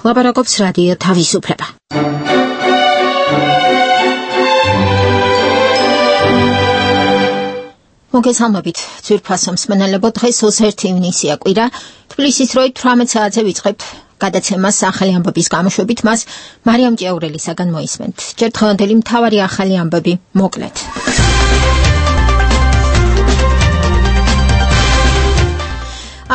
ლაპარაკობს რადიო თავისუფლება. მოგესალმებით, ძვირფასო მსმენელებო, დღეს 21 ივნისია კვირა, თბილისის დროით 18 საათზე ვიწყებთ გადაცემას ახალი ამბების გამოშვებით, მას მარიამ ჭიაურელისაგან მოისმენთ. ჯერ დღევანდელი მთავარი ახალი ამბები მოკლედ.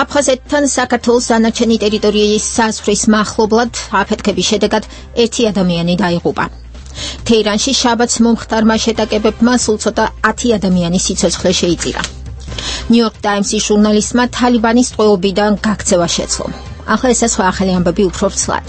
აფხაზეთთან საქართველოს დანარჩენი ტერიტორიის საზღვრის მახლობლად აფეთქების შედეგად 1 ადამიანი დაიღუპა. თეირანში შაბათს მომხდარმა შეტაკებებმა სულ ცოტა 10 ადამიანის სიცოცხლე შეიწირა. ნიუ-იორკ ტაიმსის ჟურნალისტმა თალიბანის ტყვეობიდან გაქცევა შეძლო. ახლა ეს სხვა ახალი ამბები უფრო ცლად.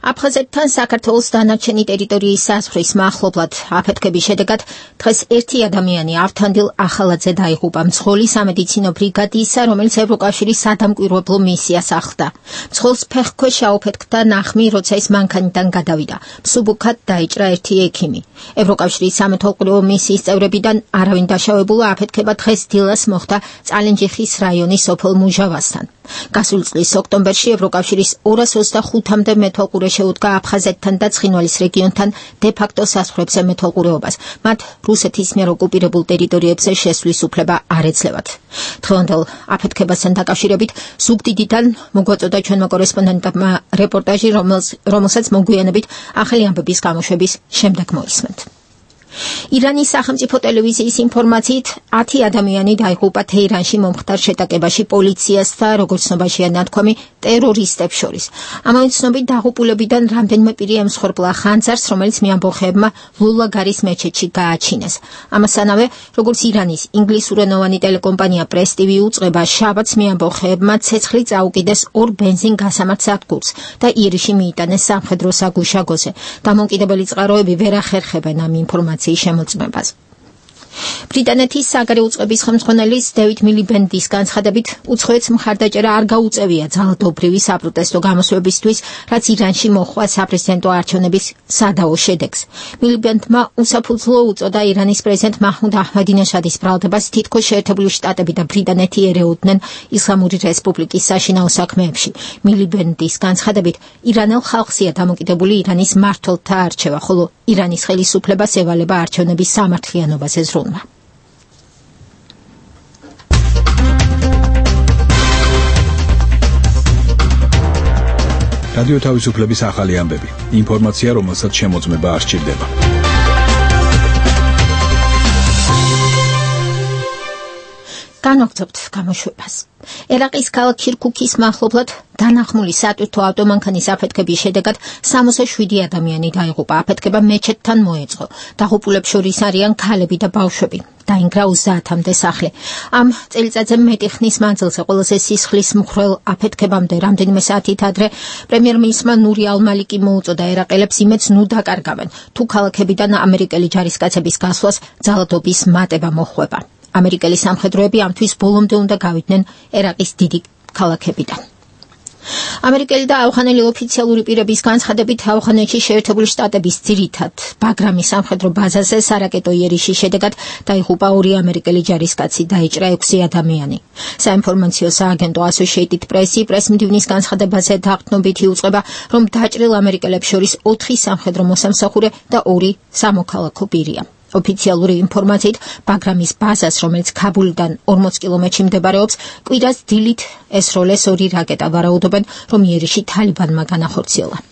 აფხაზეთთან საქართველოს დანარჩენი ტერიტორიის საზღვრის მახლობლად აფეთქების შედეგად დღეს 1 ადამიანი ავთანდილ ახალაძე დაიღუპა მძღოლის სამედიცინო ბრიგადისა, რომელიც ევროკავშირის სადამკვირვებლო მისიას ახლდა. მძღოლს ფეხქვეშ აუფეთქდა ნახმი, როცა ის მანქანიდან გადავიდა. მსუბუქად დაიჭრა 1 ექიმი. ევროკავშირის სამეთვალყურეო მისიის წევრებიდან არავინ დაშავებულა. აფეთქება დღეს დილას მოხდა წალენჯიხის რაიონის სოფელ მუჟავასთან. გასული წლის ოქტომბერში ევროკავშირის 225-მდე მეთვალყურე შეუდგა აფხაზეთთან და ცხინვალის რეგიონთან დე-ფაქტო საზღვრებზე მეთვალყურეობას. მათ რუსეთის მიერ ოკუპირებულ ტერიტორიებზე შესვლის უფლება არ ეძლევათ. დღევანდელ აფეთქებასთან დაკავშირებით ზუგდიდიდან მოგვაწოდა ჩვენმა კორესპონდენტებმა რეპორტაჟი, რომელსაც მოგვიანებით ახალი ამბების გამოშვების შემდეგ მოისმენთ. ირანის სახელმწიფო ტელევიზიის ინფორმაციით 10 ადამიანი დაიღუპა თეირანში მომხდარ შეტაკებაში პოლიციას და როგორც ცნობაშია ნათქვამი ტერორისტებს შორის. ამავე ცნობით დაღუპულებიდან რამდენიმე პირი ემსხვერპლა ხანძარს, რომელიც მეამბოხეებმა ლულაგარის მეჩეთში გააჩინეს. ამასთანავე, როგორც ირანის ინგლისურენოვანი ტელეკომპანია პრეს TV უწყება, შაბათს მეამბოხეებმა ცეცხლი წაუკიდეს 2 ბენზინ გასამართ სადგურს და ირიში მიიტანეს სამხედრო საგუშაგოზე. დამოუკიდებელი წყაროები ვერ ახერხებენ ამ ინფორმაციას შემოწმებას. ბრიტანეთის საგარეო უწყების ხელმძღვანელის დევიდ მილიბენდის განცხადებით, უცხოეთს მხარდაჭერა არ გაუწევია ძალადობრივი საპროტესტო გამოსვლებისთვის, რაც ირანში მოჰყვა საპრეზიდენტო არჩევნების სადაო შედეგს. მილიბენდმა უსაფუძვლო უწოდა ირანის პრეზიდენტ მაჰმუდ აჰმადინეჟადის ბრალდებას, თითქოს შეერთებული შტატები და ბრიტანეთი ერეოდნენ ისლამური რესპუბლიკის საშინაო საქმეებში. მილიბენდის განცხადებით, ირანელ ხალხსია დამოკიდებული ირანის მმართველთა არჩევა, ხოლო ირანის ხელისუფლებას ევალება არჩევნების სამართლიანობაზე ზრუნვა. რადიო თავისუფლების ახალი ამბები. ინფორმაცია, რომელსაც შემოწმება არ სჭირდება. განვაგრძობთ გამოშვებას. ერაყის ქალაქ ქირქუქის მახლობლად დანახმული სატვირთო ავტომანქანის აფეთქების შედეგად 67 ადამიანი დაიღუპა. აფეთქება მეჩეთთან მოეწყო. დაღუპულებს შორის არიან ქალები და ბავშვები. დაინგრა 30-მდე სახლი. ამ წელიწადზე მეტი ხნის მანძილზე ყველაზე სისხლის მხრელ აფეთქებამდე რამდენიმე საათით ადრე პრემიერ-მინისტრმა ნური ალ-მალიკი მოუწოდა ერაყელებს იმედს ნუ დაკარგავენ, თუ ქალაქებიდან ამერიკელი ჯარისკაცების გასვლას ძალადობის მატება მოხვება. ამერიკელი სამხედროები ამთვის ბოლომდე უნდა გავიდნენ ერაყის დიდი ქალაქებიდან. ამერიკელი და ავღანელი ოფიციალური პირების განცხადებით, ავღანეთში შეერთებული შტატების ძირითად ბაგრამის სამხედრო ბაზაზე სარაკეტო იერიშის შედეგად დაიღუპა 2 ამერიკელი ჯარისკაცი, დაიჭრა 6 ადამიანი. საინფორმაციო სააგენტო Associated Press პრესმდივნის განცხადებაზე დაღწნობითი უწყება, რომ დაჭრილ ამერიკელებს შორის 4 სამხედრო მოსამსახურე და 2 სამოქალაქო პირია. ოფიციალური ინფორმაციით, ბაგრამის ბაზას, რომელიც ქაბულიდან 40 კილომეტრში მდებარეობს, კვირას დილით ესროლეს 2 რაკეტა. ვარაუდობენ, რომ იერიში თალიბანმა განახორციელა.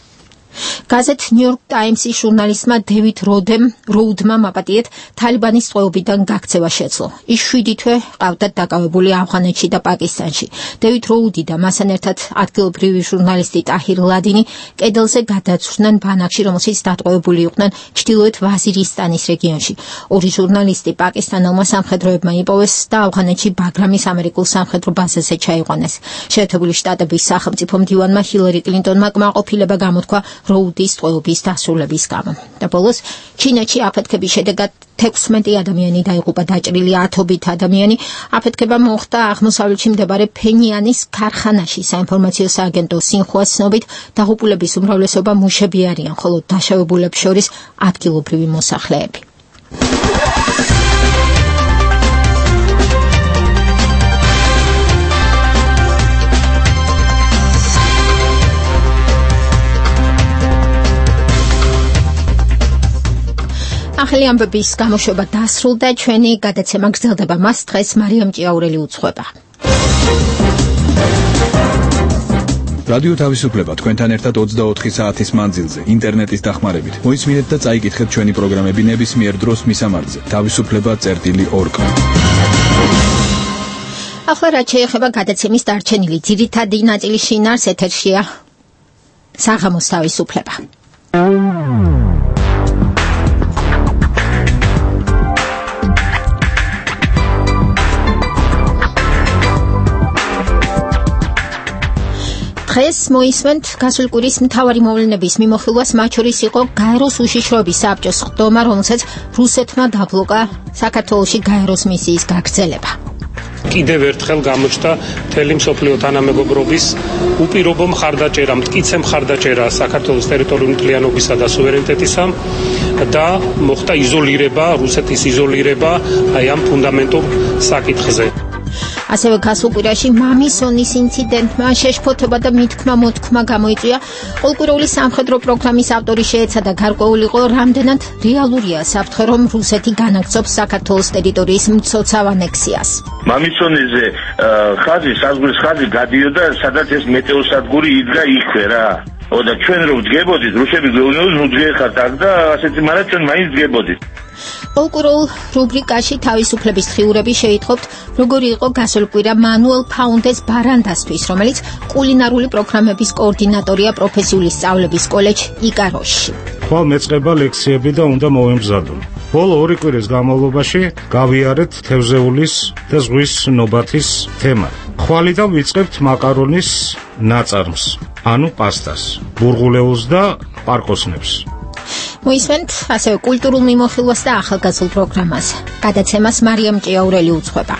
გაზეთ ნიუ-იორკ ტაიმსის ჟურნალისტმა დევიდ როუდმა მაპატიეთ თალიბანის ტყვეობიდან გაქცევა შეძლო. ის 7 თვე ყავდათ დაკავებული ავღანეთში და პაკისტანში. დევიდ როუდი და მასთან ერთად ადგილობრივი ჟურნალისტი ტაჰირ ლადინი კედელზე გადაცვლდნენ ბანაკში, რომელშიც დატყვევებული იყვნენ ჩრდილოეთ ვაზირისტანის რეგიონში. 2 ჟურნალისტი პაკისტანელმა სამხედროებმა იპოვეს და ავღანეთში ბაგრამის ამერიკულ სამხედრო ბაზაზე ჩაიყვანეს. შეერთებული შტატების სახელმწიფო მდივანმა ჰილარი კლინტონმა კმაყოფილება გამოთქვა როუდის ტყვეობის დასრულების გამო. და ბოლოს ჩინეთში აფეთქების შედეგად 16 ადამიანი დაიღუპა, დაჭრილი 10 ადამიანი. აფეთქება მოხდა აღმოსავლეთში მდებარე ფენიანის ქარხანაში. საინფორმაციო სააგენტო სინხუას ცნობით, დაღუპულების უმრავლესობა მუშები არიან, ხოლო დაშავებულებს შორის ადგილობრივი მოსახლეები. ახალი ამბების გამოშვება დასრულდა, ჩვენი გადაცემა გრძელდება, მას დღეს მარიამ ჭიაურელი უძღვება. რადიო თავისუფლება თქვენთან ერთად 24 საათის მანძილზე ინტერნეტის დახმარებით. მოისმინეთ და წაიკითხეთ ჩვენი პროგრამები ნებისმიერ დროს მისამართზე თავისუფლება.org. ახლა რაც შეეხება გადაცემის დარჩენილი ძირითადი ნაწილის შინაარს, ეთერშია საღამოს თავისუფლება. დღეს მოისმენთ გასული კვირის მთავარი მოვლენების მიმოხილვას, მათ შორის იყო გაეროს უშიშროების საბჭოს ხდომა, რომელსაც რუსეთმა დაბლოკა საქართველოში გაეროს მისიის გაგრძელება. კიდევ ერთხელ გამოჩნდა მთელი მსოფლიო თანამეგობრობის უპირობო მხარდაჭერა, მტკიცე მხარდაჭერა საქართველოს ტერიტორიული მთლიანობისა და სუვერენიტეტისა და მოხდა იზოლირება, რუსეთის იზოლირება აი ამ ფუნდამენტურ საკითხზე. ასევე გასულ კვირაში მამისონის ინციდენტმა შეშფოთება და მითქმა-მოთქმა გამოიწვია. ყოველკვირეული სამხედრო პროგრამის ავტორი შეეცადა გარკვეულიყო, რამდენად რეალურია საფრთხე, რომ რუსეთი განაგრძობს საქართველოს ტერიტორიის მცოცავ ანექსიას. მამისონიზე ხაზი, საზღვრის ხაზი გადიოდა, სადაც ეს მეტეოსადგური იდგა იქვე რა. და ჩვენ რომ ვდგებოდით, რუსები გვეუბნებოდნენ, ნუ დგეხართ აქ და ასეთი, მაგრამ ჩვენ მაინც ვდგებოდით. ყოველკვირეულ რუბრიკაში თავისუფლების დღიურები შეითხოვთ, როგორი იყო გასული კვირა მანუელ ფაუნდეს ბარანდასთვის, რომელიც კულინარული პროგრამების კოორდინატორია პროფესიული სწავლების კოლეჯ იკაროში. ხვალ მეწყება ლექციები და უნდა მოვემზადო. ბოლო 2 კვირის განმავლობაში გავიარეთ თევზეულის და ზღვის ნობათის თემა. ხვალიდან ვიწყებთ მაკარონის ნაწარმს, ანუ პასტას, ბურღულეულს და პარკოსნებს. მოისმენთ ასევე კულტურულ მიმოხილვას და ახალგაზრდულ პროგრამას. გადაცემას მარიამ ჭიაურელი უძღვება.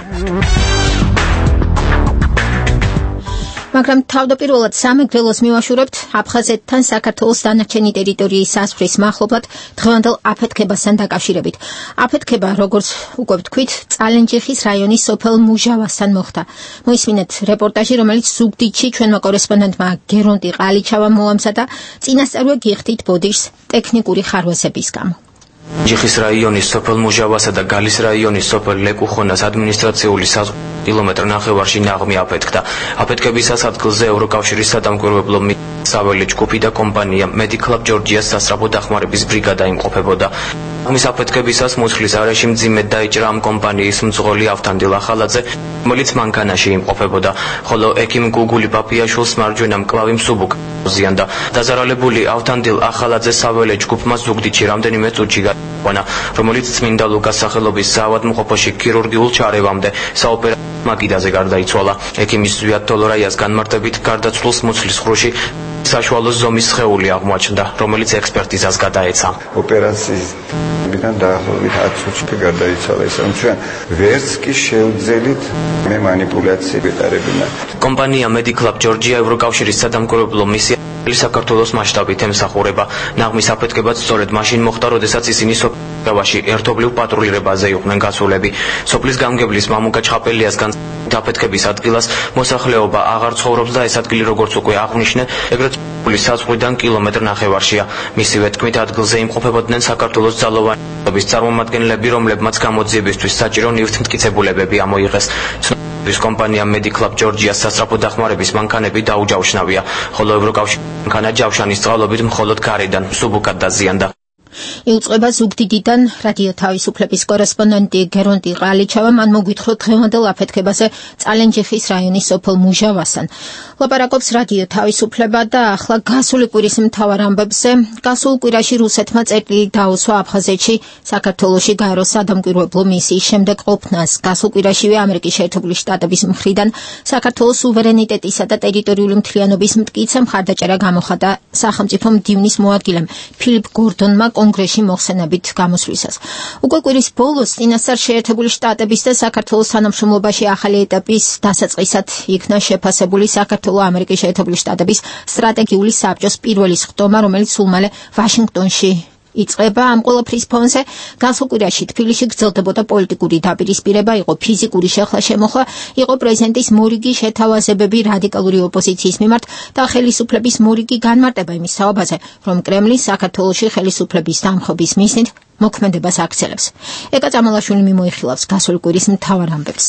მაგრამ თავდაპირველად სამეგრელოს მივაშურებთ აფხაზეთთან საქართველოს დანარჩენი ტერიტორიის სასვრის მახლობლად დღევანდელ აფეთქებასთან დაკავშირებით. აფეთქება, როგორც უკვე ვთქვით, წალენჯიხის რაიონის სოფელ მუჟავასთან მოხდა. მოისმინეთ რეპორტაჟი, რომელიც ზუგდიდში ჩვენმა კორესპონდენტმა გერონტი ყალიჩავამ მოამზადა. წინასწარვე გიხდით ბოდიშს ტექნიკური ხარვეზების გამო. ჯიხის რაიონის სოფელ მუჟავასა და გალის რაიონის სოფელ ლეკუხონას ადმინისტრაციული კილომეტრ ნახევარში ნაღმი აფეთქდა. აფეთქებისას ადგილზე ევროკავშირის სადამკვირვებლო საველე ჯგუფი და კომპანია Mediclub Georgia's სასწრაფო დახმარების ბრიგადა იმყოფებოდა. მის აფეთქებისას მუცლის არეში მძიმედ დაიჭრა ამ კომპანიის მძღოლი ავთანდილ ახალაძე, რომელიც მანქანაში იმყოფებოდა, ხოლო ექიმ გუგული პაპიაშვილს მარჯვენა მკლავი მსუბუქ ზიანდა. დაზარალებული ავთანდილ ახალაძე საველე ჯგუფმა ზუგდიდში რამდენიმე წუთში გაიყვანა, რომელიც წმინდა ლუკას სახელობის საავადმყოფოში ქირურგიულ ჩარევამდე საოპერაციო მაგიდაზე გარდაიცვალა. ექიმის ზვიად თოლორაიას განმარტებით გარდაცვლილს მუცლის ხრუში საშუალო ზომის სხეული აღმოაჩნდა, რომელიც ექსპერტიზას გადაეცა. ოპერაციიდან დაახლოებით 10 წუთში გარდაიცვალა, ისე რომ ჩვენ ვერც კი შევძელით მე манипуляცია ვეტარებინა. კომპანია Mediclub Georgia ევროკავშირის სადამკვირვებლო მისია საქართველოს მასშტაბით ემსახურება. ნაღმის აფეთქებაც სწორედ მაშინ მოხდა, როდესაც ისინი სოფელში ერთობლივ პატრულირებაზე იყვნენ გასულები. სოფლის გამგებლის მამუკა ჩხაპელიასგან აფეთქების ადგილას მოსახლეობა აღარ ცხოვრობს და ეს ადგილი, როგორც უკვე აღნიშნე, ეგრეთ სოფლის საზღვრიდან კილომეტრ ნახევარშია. მისივე თქმით, ადგილზე იმყოფებოდნენ საქართველოს ძალოვანობის წარმომადგენლები, რომლებმაც გამოძიებისთვის საჭირო ნივთმტკიცებულებები ამოიღეს. ის კომპანია Mediclub Georgia's სასწრაფო დახმარების მანქანები დაუჯავშნავია, ხოლო ევროკავშირის მანქანა ჯავშანის წყალობით მხოლოდ გარედან მსუბუქად დაზიანდა. იუწყება ზუგდიდიდან რადიო თავისუფლების კორესპონდენტი გერონტი ყალიჩავა. მან მოგვითხრა დღევანდელ აფეთქებაზე წალენჯიხის რაიონის სოფელ მუჟავასთან. ლაპარაკობს რადიო თავისუფლება და ახლა გასული კვირის მთავარ ამბებზე. გასულ კვირაში რუსეთმა წერტილი დაუსვა აფხაზეთში საქართველოში გაეროს სადამკვირვებლო მისიის შემდეგ ყოფნას. გასულ კვირაშივე ამერიკის შეერთებული შტატების მხრიდან საქართველოს სუვერენიტეტისა და ტერიტორიული მთლიანობის მტკიცე მხარდაჭერა გამოხატა სახელმწიფო მდივნის მოადგილემ ფილიპ გორდონმა კონგრესში მოხსენებით გამოსვლისას. უკვე კვირის ბოლოს წინასწარ შეერთებული შტატების და საქართველოს თანამშრომლობაში ახალი ეტაპის დასაწყისად იქნა შეფასებული საქართველო-ამერიკის შეერთებული შტატების სტრატეგიული საბჭოს პირველი ხდომა, რომელიც სულ მალე ვაშინგტონში იწყება ამ ყველაფრის ფონზე. გასულ კვირაში თბილისში გრძელდებოდა პოლიტიკური დაპირისპირება, იყო ფიზიკური შეხლა-შემოხლა, იყო პრეზიდენტის მორიგი შეთავაზებები რადიკალური ოპოზიციის მიმართ და ხელისუფლების მორიგი განმარტება იმის საუბარზე, რომ კრემლი საქართველოში ხელისუფლების დამხობის მიზნით მოქმედებას აქცელებს. ეკა წამალაშვილი მიმოიხილავს გასული კვირის მთავარ ამბებს.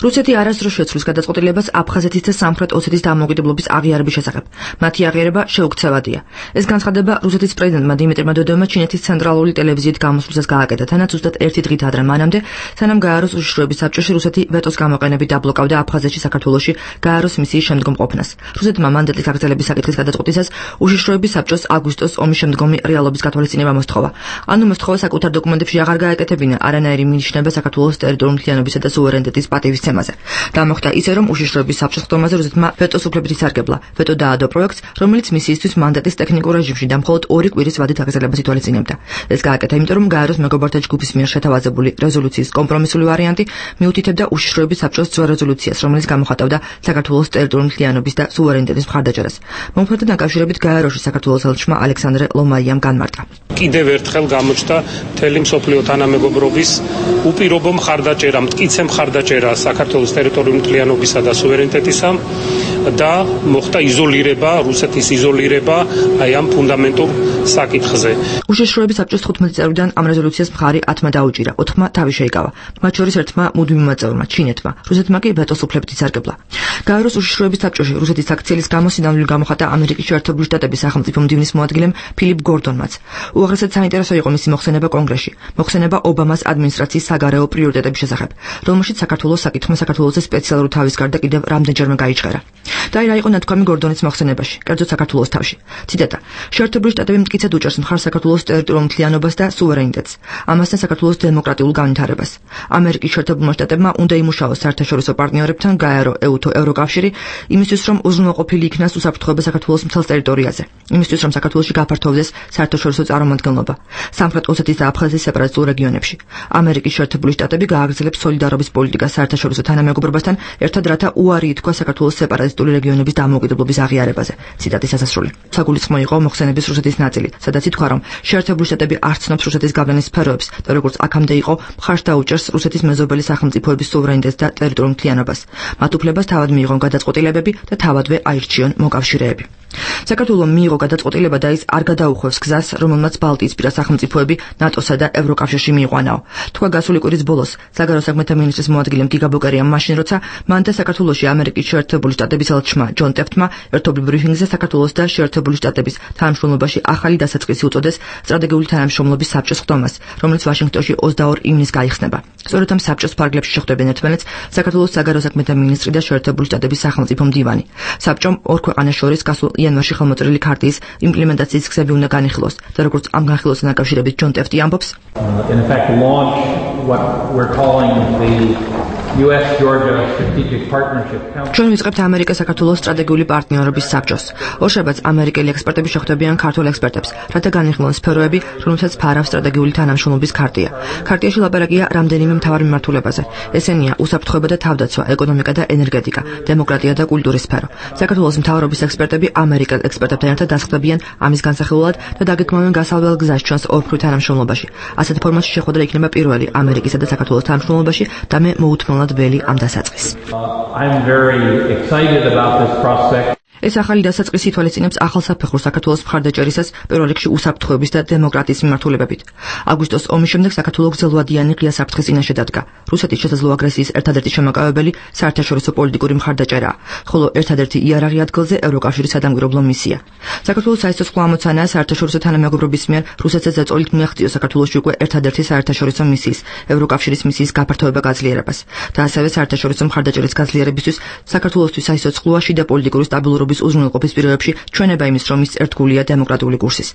რუსეთი არასდროს შეცვლის გადაწყვეტილებას აფხაზეთის და სამხრეთ ოსეთის დამოუკიდებლობის აღიარების შესახებ. მათი აღიარება შეუქცევადია. ეს განცხადება რუსეთის პრეზიდენტმა დიმიტრი მედვედევმა ჩინეთის ცენტრალური ტელევიზიით გამოსვლისას გააკეთა, თანაც ზუსტად ერთი დღით ადრე მანამდე, სანამ გააროს უშიშროების საბჭოში რუსეთი ვეტოს გამოყენებით დაბლოკავდა აფხაზეთში საქართველოში გააროს მისიის შემდგომყოფნას. რუსეთმა მანდატის გაგრძელების საკითხის გადაწყვეტისას უშიშროების საბჭოს აგვისტოს ომის შემდგომი რეალობის გათვალისწინება მოსთხოვა. ანუ მოსთხოვა საკუთარ დოკუმენტებში აღარ გააკეთებინა არანაირი მინიშნება საქართველოს ტერიტორიული მთლიანობისა და სუვერენიტეტის პატივის დამოხდა ისე, რომ უშიშროების საბჭოს ხდომაზე რუსეთმა ვეტოს უფლებით ისარგებლა. ვეტო დაადო პროექტს, რომელიც მისიისთვის მანდატის ტექნიკურ რეჟიმში და მხოლოდ 2 კვირის ვადით აგრძელებას ითვალისწინებდა. ეს გააკეთა, იმიტომ რომ გააროს მეგობართა ჯგუფის მიერ შეთავაზებული რეზოლუციის კომპრომისული ვარიანტი მიუთითებდა უშიშროების საბჭოს ძველ რეზოლუციას, რომელიც გამოხატავდა საქართველოს ტერიტორიული მთლიანობის და სუვერენიტეტის მხარდაჭერას. მომხდართან დაკავშირებით გააროში საქართველოს ელჩმა ალექსანდრე ლომაიამ განმარტა. კიდევ ერთხელ გამოჩნდა მთელი მსოფლიო თანამეგობრობის უპირობო მხარდაჭერა, მტკიცე მხარდაჭერა საქართველოს ტერიტორიული მთლიანობისა და სუვერენიტეტისა და მოხდა იზოლირება, რუსეთის იზოლირება აი ამ ფუნდამენტურ საკითხზე. უშიშროების საბჭოს 15 წევრიდან ამ რეზოლუციას მხარი 10-მა დაუჭირა, 4-მა თავი შეიკავა. მათ შორის ერთმა მუდმივმა წევრმა, ჩინეთმა, რუსეთმა კი ვეტოს უფლებით ისარგებლა. გააროს უშიშროების საბჭოში რუსეთის აქცილის გამოსინამდვილე გამოხატა ამერიკის შეერთებული შტატების სახელმწიფო მდივნის მოადგილემ ფილიპ გორდონმაც. უაღრესად საინტერესო იყო მისი მოხსენება კონგრესში, მოხსენება ობამას ადმინისტრაციის საგარეო პრიორიტეტების შესახებ, რომელშიც საქართველოს საკითხმა საქართველოს სპეციალური თავის გარდა კიდევ რამდენჯერმე გაიჩღერა. და რა იყო ნათქვამი გორდონის მოხსენებაში, კერძოდ საქართველოს თავში. ციტატა: შეერთებული შტატები მტკიცედ უჭერს მხარს საქართველოს ტერიტორიულ მთლიანობას და სუვერენიტეტს, ამასთან საქართველოს დემოკრატიულ განვითარებას. ამერიკის შეერთებულმა შტატებმა უნდა იმუშაოს საერთაშორისო პარტნიორებთან, გაერო, ეუთო, ევროკავშირი, იმისთვის რომ უზრუნველყოფილი იქნას უსაფრთხოება საქართველოს მთელ ტერიტორიაზე, იმისთვის რომ საქართველოში გაფართოვდეს საერთაშორისო წარმომადგენლობა სამხრეთ ოსეთის და აფხაზეთის სეპარატისტულ რეგიონებში. ამერიკის შეერთებული შტატები გააგრძელებს სოლიდარობის პოლიტიკას საერთაშორისო თანამეგობრობასთან ერთად, რათა უარი ითქვა საქართველოს სეპარატისტული რეგიონების დამოუკიდებლობის აღიარებაზე. ციტატის დასასრული. საგულისხმო იყო მოხსენების რუსეთის ნაწილი, სადაც ითქვა, რომ შეერთებული შტატები არ ცნობს რუსეთის გავლენის სფეროებს და როგორც აქამდე იყო, მხარს დაუჭერს რუსეთის მეზობელი სახელმწიფოების სუვერენიტეტს და ტერიტორიულ მთლიანობას. მათ უფლებას თავად მიიღონ გადაწყვეტილებები და თავადვე აირჩიონ მოკავშირეები. საქართველოს მიიღო გადაწყვეტილება და ის არ გადაუხვევს გზას, რომელმაც ბალტიისპირა სახელმწიფოები ნატოსა და ევროკავშირში მიიყვანაო. თქვა გასული კვირის ბოლოს საგარეო საქმეთა მინისტრის მოადგილემ გიგა ბოკერიამ მაშინ, როცა მან და საქართველოში ამერიკის შეერთებული შტატების ელჩმა ჯონ ტეფტმა ერთობლივ ბრიფინგზე საქართველოს და შეერთებული შტატების თანამშრომლობაში ახალი დასაწყისი უწოდეს სტრატეგიული თანამშრომლობის საბჭოს ხდომას, რომელიც ვაშინგტონში 22 ივნისს გაიხსნება. სწორედ ამ საბჭოს ფარგლებში შეხვდებიან ერთმანეთს საქართველოს საგარეო საქმეთა მინისტრი და შეერთებული შტატების სახელმწიფო მდივანი. საბჭომ ორ ქვეყანას შორის გასულ იანვარში ხელმოწერილი ქარტიის იმპლემენტაციის გზები უნდა განიხილოს და როგორც ამ განხილვასთან დაკავშირებით ჯონ ტეფტი ამბობს, in effect launch what we're calling the US-Georgia Strategic Partnership Council. ჩვენ ვიწყებთ ამერიკა-საქართველოს სტრატეგიული პარტნიორობის საბჭოს. ორშაბათს ამერიკელი ექსპერტები შეხვდებიან ქართულ ექსპერტებს, რათა განიხილონ სფეროები, რომელსაც ფარავს სტრატეგიული თანამშრომლობის ქარტია. ქარტიაში ლაპარაკია რამდენიმე მთავარ მიმართულებაზე. ესენია უსაფრთხოება და თავდაცვა, ეკონომიკა და ენერგეტიკა, დემოკრატია და კულტურის სფერო. საქართველოს მთავრობის ექსპერტები ამერიკელ ექსპერტებთან ერთად დასხდებიან ამის განსახილველად და დაგეგმავენ გასავალ გზას ჩვენს ორფრით თანამშრომლობაში. ასეთ ფორმატში შეხვედრა იქნება პირველი ამერიკისა და საქართველოს თანამშრომლობაში და მე მოუთმენლად ველი ამ დასაწყისს. I'm very excited about this prospect. ეს ახალი დასაწყისი ითვალისწინებს ახალ საფეხურს საქართველოს მხარდაჭერისას პირველ რიგში უსაფრთხოების და დემოკრატიის მიმართულებებით. აგვისტოს ომის შემდეგ საქართველოს გრძელვადიანი ღია საფრთხის წინაშე დადგა. რუსეთის შესაძლო აგრესიის ერთადერთი შემოკავებელი საერთაშორისო პოლიტიკური მხარდაჭერაა, ხოლო ერთადერთი იარაღი ადგილზე ევროკავშირის სადამკვირვებლო მისია. საქართველოს საერთაშორისო ამოცანაა საერთაშორისო თანამეგობრობის მიერ რუსეთს ზეწოლით მიაღწიოს საქართველოში უკვე ერთადერთი საერთაშორისო მისიის, ევროკავშირის მისიის გაფართოება გაძლიერებას და ასევე საერთაშორისო მხარდაჭერის გაძლიერებისთვის საქართველოსთვის საიცოცხლოა შიდა პოლიტიკური სტაბილურობის უზრუნველყოფის პირობებში ჩვენება იმის, რომ ის ერთგულია დემოკრატიული კურსის.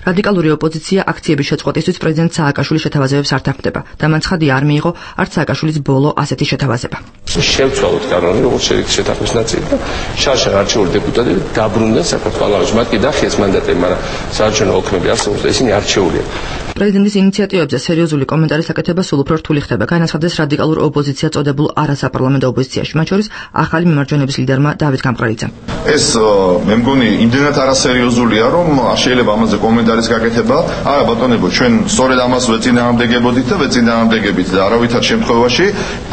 რადიკალური ოპოზიცია აქციების შეწყვეტისთვის პრეზიდენტ სააკაშვილის შეთავაზებებს არ თანხმდება და მან ცხადი არ მიიღო არც სააკაშვილის ბოლო ასეთი შეთავაზება. შევცვალოთ კანონი, როგორც შედეგი შეთანხმების ნაწილი და შარშან არჩეული დეპუტატები დაბრუნდნენ საქართველოში. მათ კი დახიეს მანდატები, მაგრამ საარჩევნო ოქმები არსებობს და ისინი არჩეულია. პრეზიდენტის ინიციატივებზე სერიოზული კომენტარის აკეთება სულ უფრო რთული ხდება. განაცხადეს რადიკალურ ოპოზიციას წოდებულ არასაპარლამენტო ოპოზიციაში, მათ შორის ახალი მიმარჯვენების ლიდერმა დავით გამყრელიძემ. ეს მე მგონი იმდენად არასერიოზულია, რომ შეიძლება ამაზე კომენტარის გაკეთება. არა ბატონებო, ჩვენ სწორედ ამას ვეწინააღმდეგებოდით და ვეწინააღმდეგებით და არავითარ შემთხვევაში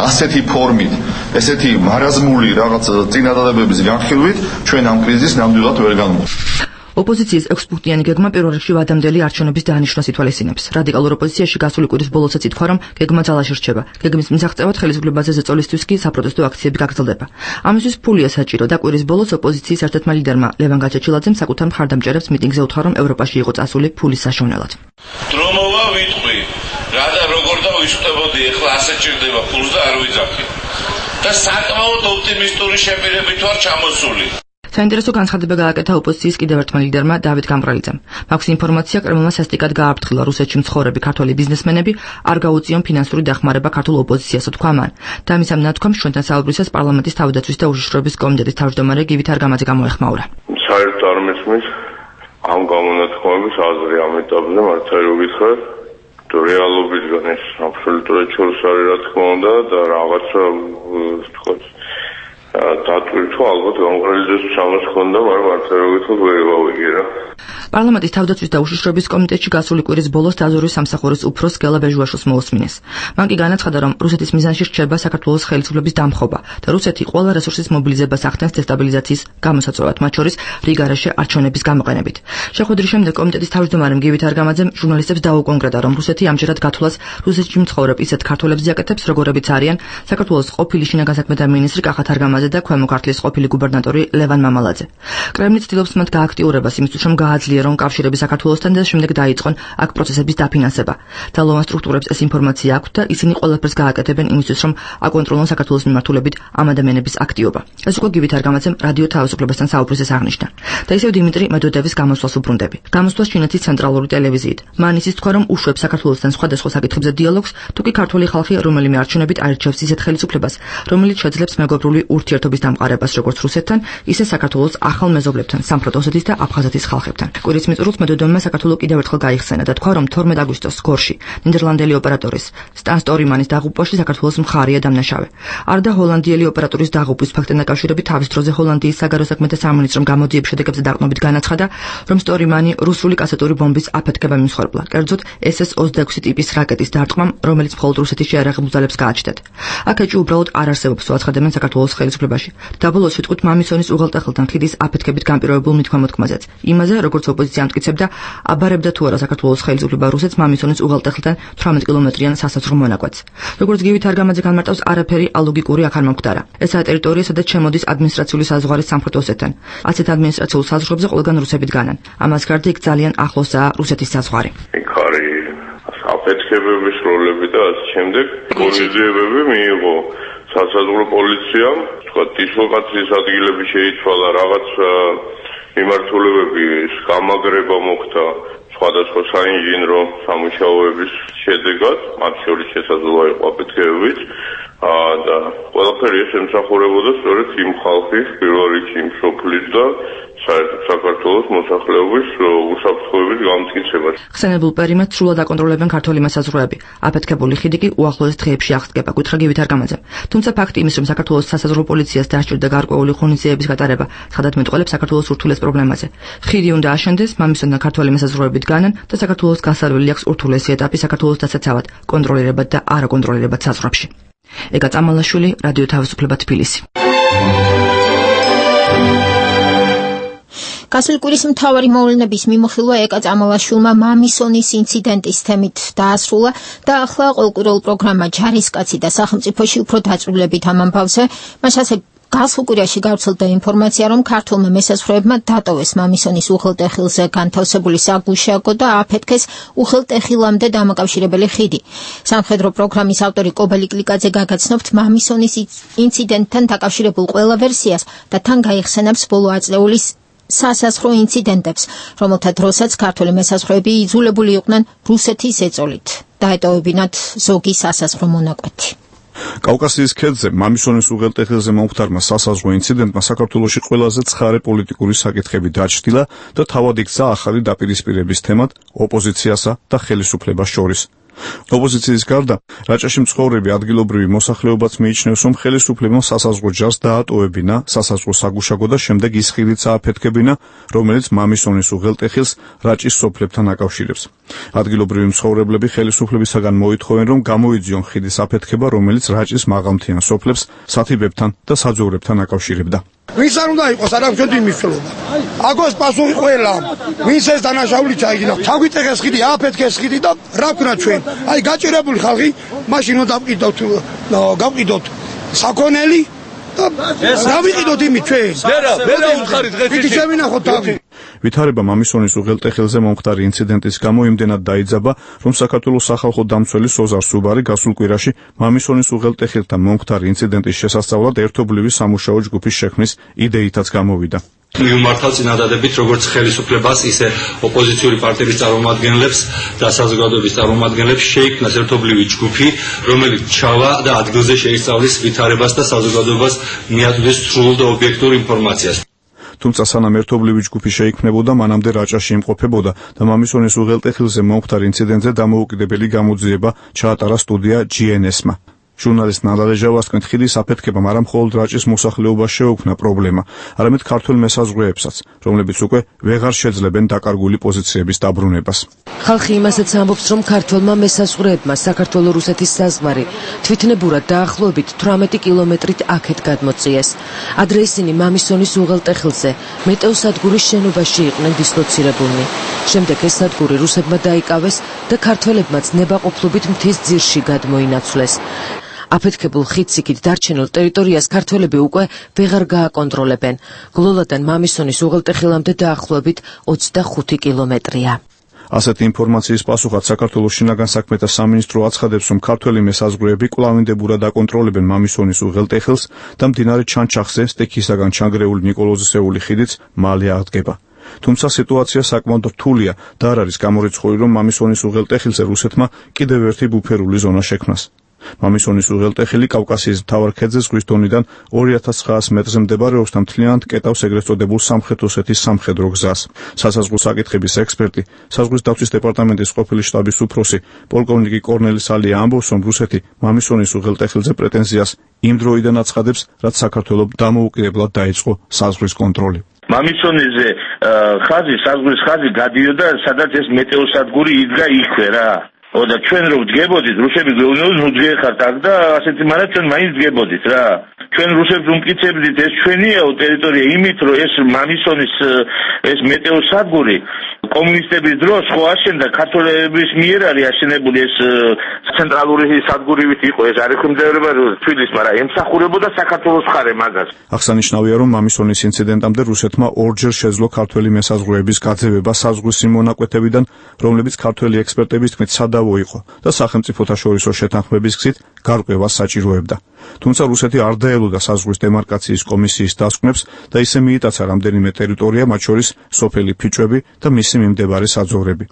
ასეთი ფორმით, ესეთი მარაზმული რაღაც წინადადებების განხილვით ჩვენ ამ კრიზისს ნამდვილად ვერ განვიხილავთ. ოპოზიციის 6-პუნქტიანი გეგმა პირველ რიგში ვადამდელი არჩევნების დაანიშნვას ითვალისწინებს. რადიკალურ ოპოზიციაში გასული კვირის ბოლოსაც ითქვა, რომ გეგმა ძალაში რჩება. გეგმის მისაღწევად ხელისუფლებაზე ზეწოლისთვის კი საპროტესტო აქციები გაგრძელდება. ამისთვის ფულია საჭირო და კვირის ბოლოს ოპოზიციის ერთ-ერთმა ლიდერმა ლევან გაჩეჩილაძემ საკუთარ მხარდამჭერებს მიტინგზე უთხრა, რომ ევროპაში იყო წასული ფულის საშოვნელად. დრომოვა ვიტყვი, რა და როგორ და ვისწრებოდი, ეხლა ასე ჭირდება ფულს და არ ვიძახი. და საკმაოდ ოპტიმისტური შეფერებით ვარ ჩამოსული. საინტერესო განცხადება გააკეთა ოპოზიციის კიდევ ერთმა ლიდერმა დავით გამყრელიძემ. მაქვს ინფორმაცია, კრემლმა სასტიკად გააფრთხილა რუსეთში მცხოვრები ქართველი ბიზნესმენები არ გაუწიონ ფინანსური დახმარება ქართულ ოპოზიციას, თქვა მან. და მის ამ ნათქვამს ჩვენთან საუბრისას პარლამენტის თავდაცვის და უშიშროების კომიტეტის თავმჯდომარე გივით არგამაძე გამოეხმაურა. საერთოდ არ მესმის ამ გამონათქვამების აზრი ამ ეტაპზე მართალი რო გითხრათ, რეალობისგან ეს აბსოლუტურად ჩორს არის რა თქმა უნდა და რაღაცა ვთქვათ დატვირთვა ალბათ გამყრელიძეს სამას ხონდა, მაგრამ მართლაც ვერ გავიგე რა. პარლამენტის თავდაცვის და უშიშროების კომიტეტში გასული კვირის ბოლოს დაზვერვის სამსახურის უფროს გელა ბეჟუაშვილს მოусმინეს. მან კი განაცხადა, რომ რუსეთის მიზანში რჩება საქართველოს ხელისუფლების დამხობა და რუსეთი ყველა რესურსის მობილიზებას ახდენს დესტაბილიზაციის გამოსაწვევად, მათ შორის რიგარაში არჩევნების გამოყენებით. შეხვედრის შემდეგ კომიტეტის თავმჯდომარემ გივით არგამაძემ ჟურნალისტებს დაუკონკრეტა, რომ რუსეთი ამჯერად გათვლას რუსეთში მცხოვრებ ისეთ ქართველებს აკეთებს, როგორებიც არიან საქართველოს ყოფილი შინაგან საქმეთა მინისტრი კახათ არგამაძე და ქვემო ქართლის ყოფილი გუბერნატორი ლევან მამალაძე. კრემლი ცდილობს მათ გააქტიურებას იმისთვის, რომ გააძლიერონ კავშირები საქართველოსთან და შემდეგ დაიწყონ აქ პროცესების დაფინანსება. ძალოვან სტრუქტურებს ეს ინფორმაცია აქვთ და ისინი ყველაფერს გააკეთებენ იმისთვის, რომ აკონტროლონ საქართველოს მიმართულებით ამ ადამიანების აქტიობა. ეს უკვე გივით არგამაძემ რადიო თავისუფლებასთან საუბრისას აღნიშნა. და ისევ დიმიტრი მედვედევის გამოსვლას უბრუნდები. გამოსვლას ჩინეთის ცენტრალური ტელევიზიით. მან ისიც თქვა, რომ უშვებს საქართველოსთან სხვადასხვა საკითხებზე დიალოგს, თუ კი ქართული ხალხი რომელიმე არჩევნებით აირჩევს ისეთ ხელისუფლებას, რომელიც შეძლებს მეგობრული ურთიერთობის დამყარებას როგორც რუსეთთან, ისე საქართველოს ახალ მეზობლებთან, სამხრეთ ოსეთის და აფხაზეთის ხალხებთან. კვირის მიწურულს მედვედევმა საქართველოს კიდევ ერთხელ გაიხსენა და თქვა, რომ 12 აგვისტოს გორში ნიდერლანდელი ოპერატორის სტან სტორიმანის დაღუპვაში საქართველოს მხარეა დამნაშავე. არდა ჰოლანდიელი ოპერატორის დაღუპვის ფაქტთან დაკავშირებით თავის დროზე ჰოლანდიის საგარეო საქმეთა სამინისტრომ გამოძიების შედეგებზე დაყრდნობით განაცხადა, რომ სტორიმანი რუსული კასეტური ბომბის აფეთქება მიმსხვერპლა, კერძოდ SS-26 ტიპის რაკეტის დარტყმამ, რომელიც მხოლოდ რუსეთის შეიარაღებულ ძალებს გააჩნდათ. აქ ეჭვი უბრალოდ არ არსებობს, უაცხადებენ საქართველოს ხელისუფლებაში. და ბოლოს ვიტყვით მამისონის უღელტეხილთან ხიდის აფეთქებით გამპირობებულ მითქმა-მოთქმაზეც. იმაზე, როგორც ოპოზიცია ამტკიცებდა, აბარებდა თუ არა საქართველოს ხელისუფლება რუსეთს მამისონის უღელტეხილთან 18 კილომეტრიან სასაზღვრო მონაკვეთს. როგორც გივით არგამაძე განმარტავს, არაფერი ალოგიკური აქ არ მომხდარა. ესაა ტერიტორია, სადაც შემოდის ადმინისტრაციული საზღვარი სამხრეთ ოსეთთან. ასეთ ადმინისტრაციულ საზღვრებზე ყველგან რუსები დგანან. ამას გარდა იქ ძალიან ახლოსაა რუსეთის საზღვარი. იქ არის აფეთქებების როლები და ასე შემდეგ. კორიზიებები მიიღო სასაზღვრო პოლიციამ, თქვა დისლოკაციის ადგილები შეიცვალა, რაღაც მიმართულებები გამაგრება მოხდა სხვადასხვა საინჟინრო სამუშაოების შედეგად, მათ შორის შესაძლოა იყო აფეთქებებიც და ყველაფერი ეს ემსახურებოდა სწორედ იმ ხალხის, პირველ რიგში იმ სოფლის და საერთოდ საქართველოს მოსახლეობის უსაფრთხოების გამტკიცებას. ხსენებულ პერიმეტრს სრულად აკონტროლებენ ქართული მესაზღვრეები. აფეთქებული ხიდი კი უახლოეს დღეებში აღსდგება, გითხრა გივით არგამაძემ. თუმცა ფაქტი იმის, რომ საქართველოს სასაზღვრო პოლიციას დასჭირდა გარკვეული ღონისძიებების გატარება, ხადად მეტყველებს საქართველოს ურთულეს პრობლემაზე. ხიდი უნდა აშენდეს, მამისონთან ქართველი მესაზღვრეები დგანან და საქართველოს გასარველი აქვს ურთულესი ეტაპი საქართველოს დასაცავად, კონტროლირებად და არაკონტროლირებად საზღვრებში. ეგა წამალაშვილი, რადიო თავისუფლება თბილისი. გასული კვირის მთავარი მოვლენების მიმოხილვა ეკა წამალაშვილმა მამისონის ინციდენტის თემით დაასრულა და ახლა ყოველკვირეულ პროგრამა ჯარისკაცი და სახელმწიფოში უფრო დაწვრილებით ამ ამბავზე. მაშასე გასულ კვირაში გავრცელდა ინფორმაცია, რომ ქართულმა მესაზღვრეებმა დატოვეს მამისონის უღელტეხილზე განთავსებული საგუშაგო და აფეთქეს უღელტეხილამდე დამაკავშირებელი ხიდი. სამხედრო პროგრამის ავტორი კობელი კლიკაძე გაგაცნობთ მამისონის ინციდენტთან დაკავშირებულ ყველა ვერსიას და თან გაიხსენებს ბოლო აწლეულის სასაზღვრო ინციდენტებს, რომელთა დროსაც ქართული მესაზღვრეები იძულებული იყვნენ რუსეთის ეწოლით დაეტოვებინათ ზოგი სასაზღვრო მონაკვეთი. კავკასიის ქედზე მამისონის უღელტეხილზე მომხდარმა სასაზღვრო ინციდენტმა საქართველოში ყველაზე ცხარე პოლიტიკური საკითხები დაჩრდილა და თავად იქცა ახალი დაპირისპირების თემად ოპოზიციასა და ხელისუფლებას შორის. ოპოზიციის გარდა რაჭაში მცხოვრები ადგილობრივი მოსახლეობაც მიიჩნევს, რომ ხელისუფლებამ სასაზღვრო ჯარს დაატოვებინა სასაზღვრო საგუშაგო და შემდეგ ის ხიდით ააფეთქებინა, რომელიც მამისონის უღელტეხილს რაჭის სოფლებთან აკავშირებს. ადგილობრივი მცხოვრებლები ხელისუფლებისაგან მოითხოვენ, რომ გამოიძიონ ხიდის აფეთქება, რომელიც რაჭის მაღალმთიან სოფლებს სათიბებთან და საძოვრებთან აკავშირებდა. ვინც არ უნდა იყოს არამშვენდი მნიშვნელობა. აგოს პასუხი ყველა, ვინც ეს დანაშაული ჩაიგინა. ჩაგვიტეხეს ხიდი, ააფეთქეს ხიდი და რა ვქნა ჩვენ? აი გაჭირებული ხალხი, მაშინ უნდა გავყიდოთ საქონელი და რა ვიყიდოთ იმით ჩვენ? ვერა უთხარით დღეს შევინახოთ თავი. ვითარება მამისონის უღელტეხილზე მომხდარი ინციდენტის გამო იმდენად დაიძაბა, რომ საქართველოს სახალხო დამცველი სოზარ სუბარი გასულ კვირაში მამისონის უღელტეხილთან მომხდარი ინციდენტის შესასწავლად ერთობლივი სამუშაო ჯგუფის შექმნის იდეითაც გამოვიდა. მიუმართავ წინადადებით როგორც ხელისუფლებას, ისე ოპოზიციური პარტიების წარმომადგენლებს და საზოგადოების წარმომადგენლებს შეიქმნას ერთობლივი ჯგუფი, რომელიც ჩავა და ადგილზე შეისწავლის ვითარებას და საზოგადოებას მიაწვდეს სრულ და ობიექტურ ინფორმაციას. თუმცა სანამ ერთობლივი ჯგუფი შეიქმნებოდა, მანამდე რაჭაში იმყოფებოდა და მამისონის უღელტეხილზე მომხდარ ინციდენტზე დამოუკიდებელი გამოძიება ჩაატარა სტუდია GNS-მა. ჟურნალისტ ნალა ლეჟავას თქმით, ხიდის აფეთქებამ არა მხოლოდ რაჭის მოსახლეობას შეუქმნა პრობლემა, არამედ ქართველ მესაზღვრეებსაც, რომლებიც უკვე ვეღარ შეძლებენ დაკარგული პოზიციების დაბრუნებას. ხალხი იმასაც ამბობს, რომ ქართველმა მესაზღვრეებმა საქართველო-რუსეთის საზღვარი თვითნებურად დაახლოებით 18 კილომეტრით აქეთ გადმოწიეს. ადრე ისინი მამისონის უღელტეხილზე მეტეოსადგურის შენობაში იყვნენ დისლოცირებულნი. შემდეგ ეს სადგური რუსებმა დაიკავეს და ქართველებმაც ნებაყოფლობით მთის ძირში გადმოინაცვლეს. აფეთქებულ ხიდს იქით დარჩენილ ტერიტორიას ქართველები უკვე ვეღარ გააკონტროლებენ. გლოლადან მამისონის უღელტეხილამდე დაახლოებით 25 კილომეტრია. ასეთი ინფორმაციის პასუხად საქართველოს შინაგან საქმეთა სამინისტრო აცხადებს, რომ ქართველი მესაზღვრეები კვლავინდებურად აკონტროლებენ მამისონის უღელტეხილს და მდინარე ჩანჩახზე სტექისაგან ჩანგრეული ნიკოლოზისეული ხიდიც მალე აღდგება. თუმცა სიტუაცია საკმაოდ რთულია და არ არის გამორიცხული, რომ მამისონის უღელტეხილზე რუსეთმა კიდევ ერთი ბუფერული ზონა შექმნას. მამისონის უღელტეხილი კავკასიის მთავარ ქედზე ზღვის დონიდან 2900 მეტრზე მდებარეობს და მთლიანად კეტავს ეგრეთ წოდებულ სამხრეთ ოსეთის სამხედრო გზას. სასაზღვრო საკითხების ექსპერტი, საზღვრის დაცვის დეპარტამენტის ყოფილი შტაბის უფროსი, პოლკოვნიკი კორნელი სალია ამბობს, რომ რუსეთი მამისონის უღელტეხილზე პრეტენზიას იმ დროიდან აცხადებს, რაც საქართველოს დამოუკიდებლად დაიწყო საზღვრის კონტროლი. მამისონიზე ხაზი, საზღვრის ხაზი გადიოდა, სადაც ეს მეტეოსადგური იდგა იქვე რა. და ჩვენ რო ვდგებოდით, რუსები გვეუბნებოდნენ, ნუ დგეხართ აქ და ასეთი, მაგრამ ჩვენ მაინც დგებოდით რა. ჩვენ რუსებს უმტკიცებდით, ეს ჩვენიაო ტერიტორია, იმით რომ ეს მამისონის ეს მეტეოსადგური კომუნისტების დროს ხო აშენდა, ქართველების მიერ არის აშენებული ეს ცენტრალური სადგურივით იყო, ეს არ ექვემდებარება თბილისს, მაგრამ ემსახურებოდა საქართველოს მხარე მაგას. აღსანიშნავია, რომ მამისონის ინციდენტამდე რუსეთმა ორჯერ შეძლო ქართველი მესაზღვრეების გაძევება საზღვრის მონაკვეთებიდან, რომლებიც ქართველი ექსპერტების თქმით სადავო იყო და სახელმწიფოთა შორისო შეთანხმების გზით გარკვევას საჭიროებდა. თუმცა რუსეთი არ დაელოდა საზღვრის დემარკაციის კომისიის დასკვნებს და ისე მიიტაცა რამდენიმე ტერიტორია, მათ შორის სოფელი ფიჭვები და მისი მიმდებარე საძოვრები.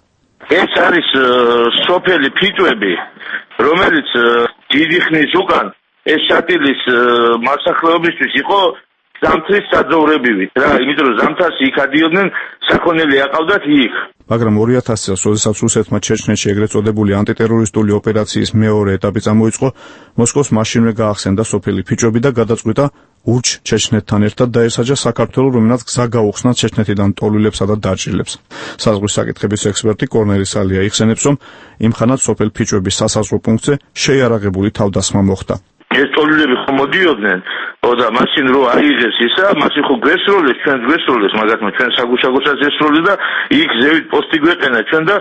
ეს არის სოფელი ფიჭვები, რომელიც დიდი ხნის უკან ეს შატილის მოსახლეობისთვის იყო ზამთრის საძოვრებივით რა, იმიტომ რომ ზამთარში იქ ადიოდნენ, საქონელი აყავდათ იქ. მაგრამ 2000 წელს, როდესაც რუსეთმა ჩეჩნეთში ეგრეთ წოდებული ანტიტერორისტული ოპერაციის მეორე ეტაპი წამოიწყო, მოსკოვს მაშინვე გაახსენდა სოფელი ფიჭვები და გადაწყვიტა ურჩ ჩეჩნეთთან ერთად დაესაჯა საქართველო, რომელსაც გზა გაუხსნა ჩეჩნეთიდან ტოლვილებსა და დაჭრილებს. საზღვრის საკითხების ექსპერტი კორნელი სალია იხსენებს, რომ იმ ხანად სოფელ ფიჭვების სასაზღვრო პუნქტზე შეიარაღებული თავდასხმა მოხდა. ეს ტოლვილები ხომ მოდიოდნენ და მაშინ რო აიღეს ისა, მაშინ ხო გვესროლეს, ჩვენ გვესროლეს, მაგათმა ჩვენ საგუშაგოსაც ესროლეს და იქ ზევით პოსტი გვეყენა ჩვენ და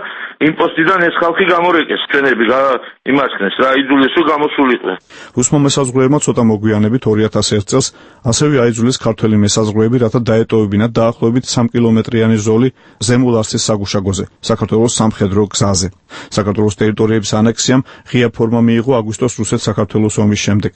იმ პოსტიდან ეს ხალხი გამორეკეს, ჩვენები იმასქნეს რა, იძულეს რომ გამოსულიყვნენ. რუსმა მესაზღვრეებმა ცოტა მოგვიანებით 2001 წელს ასევე აიძულეს ქართველი მესაზღვრეები, რათა დაეტოვებინათ დაახლოებით 3 კილომეტრიანი ზოლი ზემო ლარსის საგუშაგოზე, საქართველოს სამხედრო გზაზე. საქართველოს ტერიტორიების ანექსიამ ღია ფორმა მიიღო აგვისტოს რუსეთ-საქართველოს ომის შემდეგ.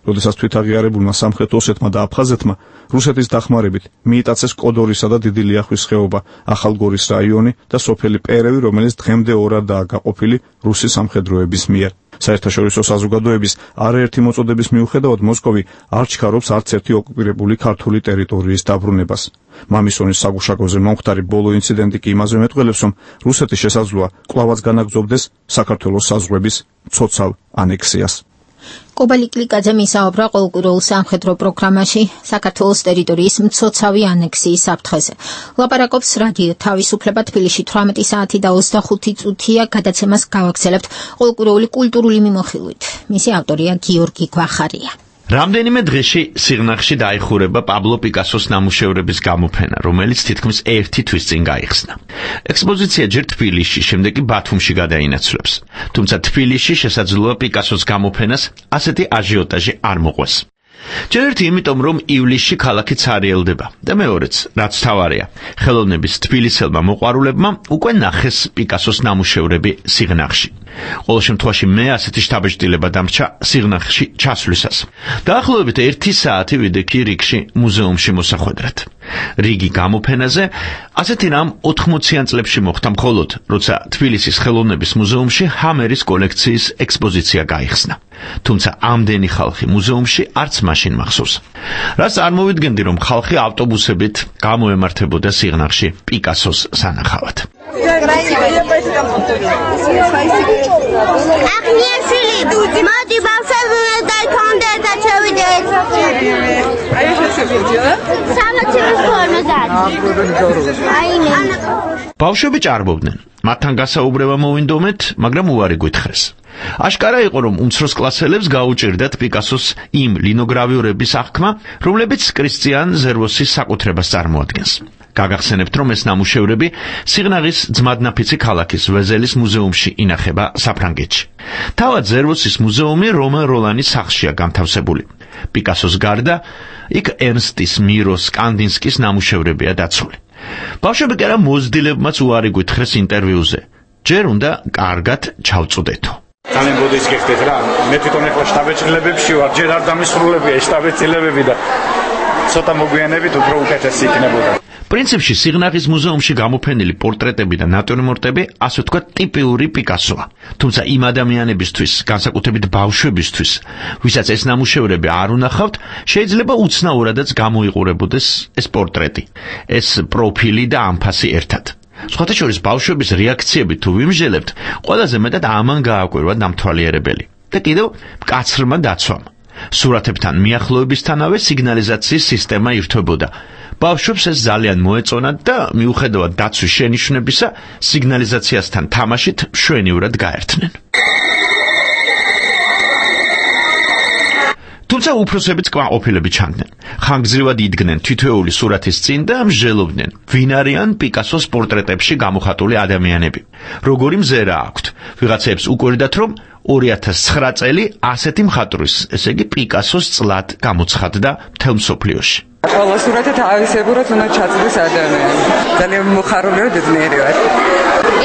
როდესაც თვითაღიარებულმა სამხრეთ ოსეთმა და აფხაზეთმა რუსეთის დახმარებით მიიტაცეს კოდორისა და დიდი ლიახვის ხეობა, ახალგორის რაიონი და სოფელი პერევი, რომელიც დღემდე ორადაა გაყოფილი რუსი სამხედროების მიერ. საერთაშორისო საზოგადოების არაერთი მოწოდების მიუხედავად მოსკოვი არ ჩქარობს არც ერთი ოკუპირებული ქართული ტერიტორიის დაბრუნებას. მამისონის საგუშაგოზე მომხდარი ბოლო ინციდენტი კი იმაზე მეტყველებს, რომ რუსეთი შესაძლოა კვლავაც განაგრძობდეს საქართველოს საზღვრების მცოცავ ანექსიას. კობალი კლიკაძე მისაუბრა ყოველკვირეულ სამხედრო პროგრამაში საქართველოს ტერიტორიის მცოცავი ანექსიის საფრთხეზე. ლაპარაკობს რადიო თავისუფლება თბილისში 18 საათი და 25 წუთია გადაცემას გავაგრძელებთ ყოველკვირეული კულტურული მიმოხილვით. მისი ავტორია გიორგი გვახარია. რამდენიმე დღეში სიღნაღში დაიხურება პაბლო პიკასოს ნამუშევრების გამოფენა, რომელიც თითქმის 1 თვის წინ გაიხსნა. ექსპოზიცია ჯერ თბილისში, შემდეგ კი ბათუმში გადაინაცვლებს. თუმცა თბილისში შესაძლოა პიკასოს გამოფენას ასეთი აჟიოტაჟი არ მოყვეს. ჯერ ერთი იმიტომ, რომ ივლისში ქალაქი ცარიელდება და მეორეც, რაც თავარია, ხელოვნების თბილისელმა მოყვარულებმა უკვე ნახეს პიკასოს ნამუშევრები სიღნაღში. ყოველ შემთხვევაში მე ასეთი შთაბეჭდილება დამრჩა სიღნაღში ჩასვლისას. დაახლოებით 1 საათი ვიდექი რიგში მუზეუმში მოსახვედრად. რიგი გამოფენაზე ასეთი რამ 80-იან წლებში მოხდა მხოლოდ, როცა თბილისის ხელოვნების მუზეუმში ჰამერის კოლექციის ექსპოზიცია გაიხსნა. თუმცა ამდენი ხალხი მუზეუმში არც მაშინ მახსოვს. რას წარმოვიდგენდი, რომ ხალხი ავტობუსებით გამოემართებოდა სიღნაღში პიკასოს სანახავად. ბავშვები ჭარბობდნენ. მათთან გასაუბრება მოვინდომეთ, მაგრამ უარი გვითხრეს. აშკარა იყო, რომ უმცროს კლასელებს გაუჭირდათ პიკასოს იმ ლინოგრავიურების აღქმა, რომლებიც კრისტიან ზერვოსის საკუთრებას წარმოადგენს. გაგახსენებთ, რომ ეს ნამუშევრები სიღნაღის ძმადნაფიცი ქალაქის ვეზელის მუზეუმში ინახება საფრანგეთში. თავად ზერვოსის მუზეუმი რომან როლანის სახლშია განთავსებული. პიკასოს გარდა იქ ერნსტის, მიროს, კანდინსკის ნამუშევრებია დაცული. ბავშვები კი არა მოზრდილებმაც უარი გვითხრეს ინტერვიუზე. ჯერ უნდა კარგად ჩავწუდეთო. ძალიან ბოდიშ გიხდეთ რა. მე თვითონ ახლა შტაბეჭდილებებში ვარ, ჯერ არ დამისრულებია შტაბეჭდილებები და ცოტა მოგვიანებით უფრო უკეთესი იქნებოდა. პრინციპში სიღნაღის მუზეუმში გამოფენილი პორტრეტები და ნატურმორტები, ასე ვთქვათ, ტიპიური პიკასოა. თუმცა იმ ადამიანებისთვის, განსაკუთრებით ბავშვებისთვის, ვისაც ეს ნამუშევრები არ უნახავთ, შეიძლება უცნაურადაც გამოიყურებოდეს ეს პორტრეტი, ეს პროფილი და ამფასი ერთად. სხვათა შორის ბავშვების რეაქციები თუ ვიმსჯელებთ, ყველაზე მეტად ამან გააკვირვა დამთვალიერებელი და კიდევ მკაცრმა დაცვამ. სურათებთან მიახლოებისთანავე სიგნალიზაციის სისტემა ირთვებოდა. ბავშვებს ეს ძალიან მოეწონათ და მიუხედავად დაცვის შენიშვნებისა, სიგნალიზაციასთან თამაშით მშვენივრად გაერთნენ. თუმცა უფროსებიც კმაყოფილები ჩანდნენ. ხანგრძლივად იდგნენ თითოეული სურათის წინ და მსჯელობდნენ, ვინ არიან პიკასოს პორტრეტებში გამოხატული ადამიანები. როგორი მზერა აქვთ. ვიღაცებს უკვირდათ, რომ 2009 წელი ასეთი მხატვრის, ესე იგი პიკასოს წლად გამოცხადდა მთელ მსოფლიოში. ყველა სურათი თავისებურად უნდა ჩაწერდეს ადამიანი. ძალიან მოხარული და ძნელი ვარ.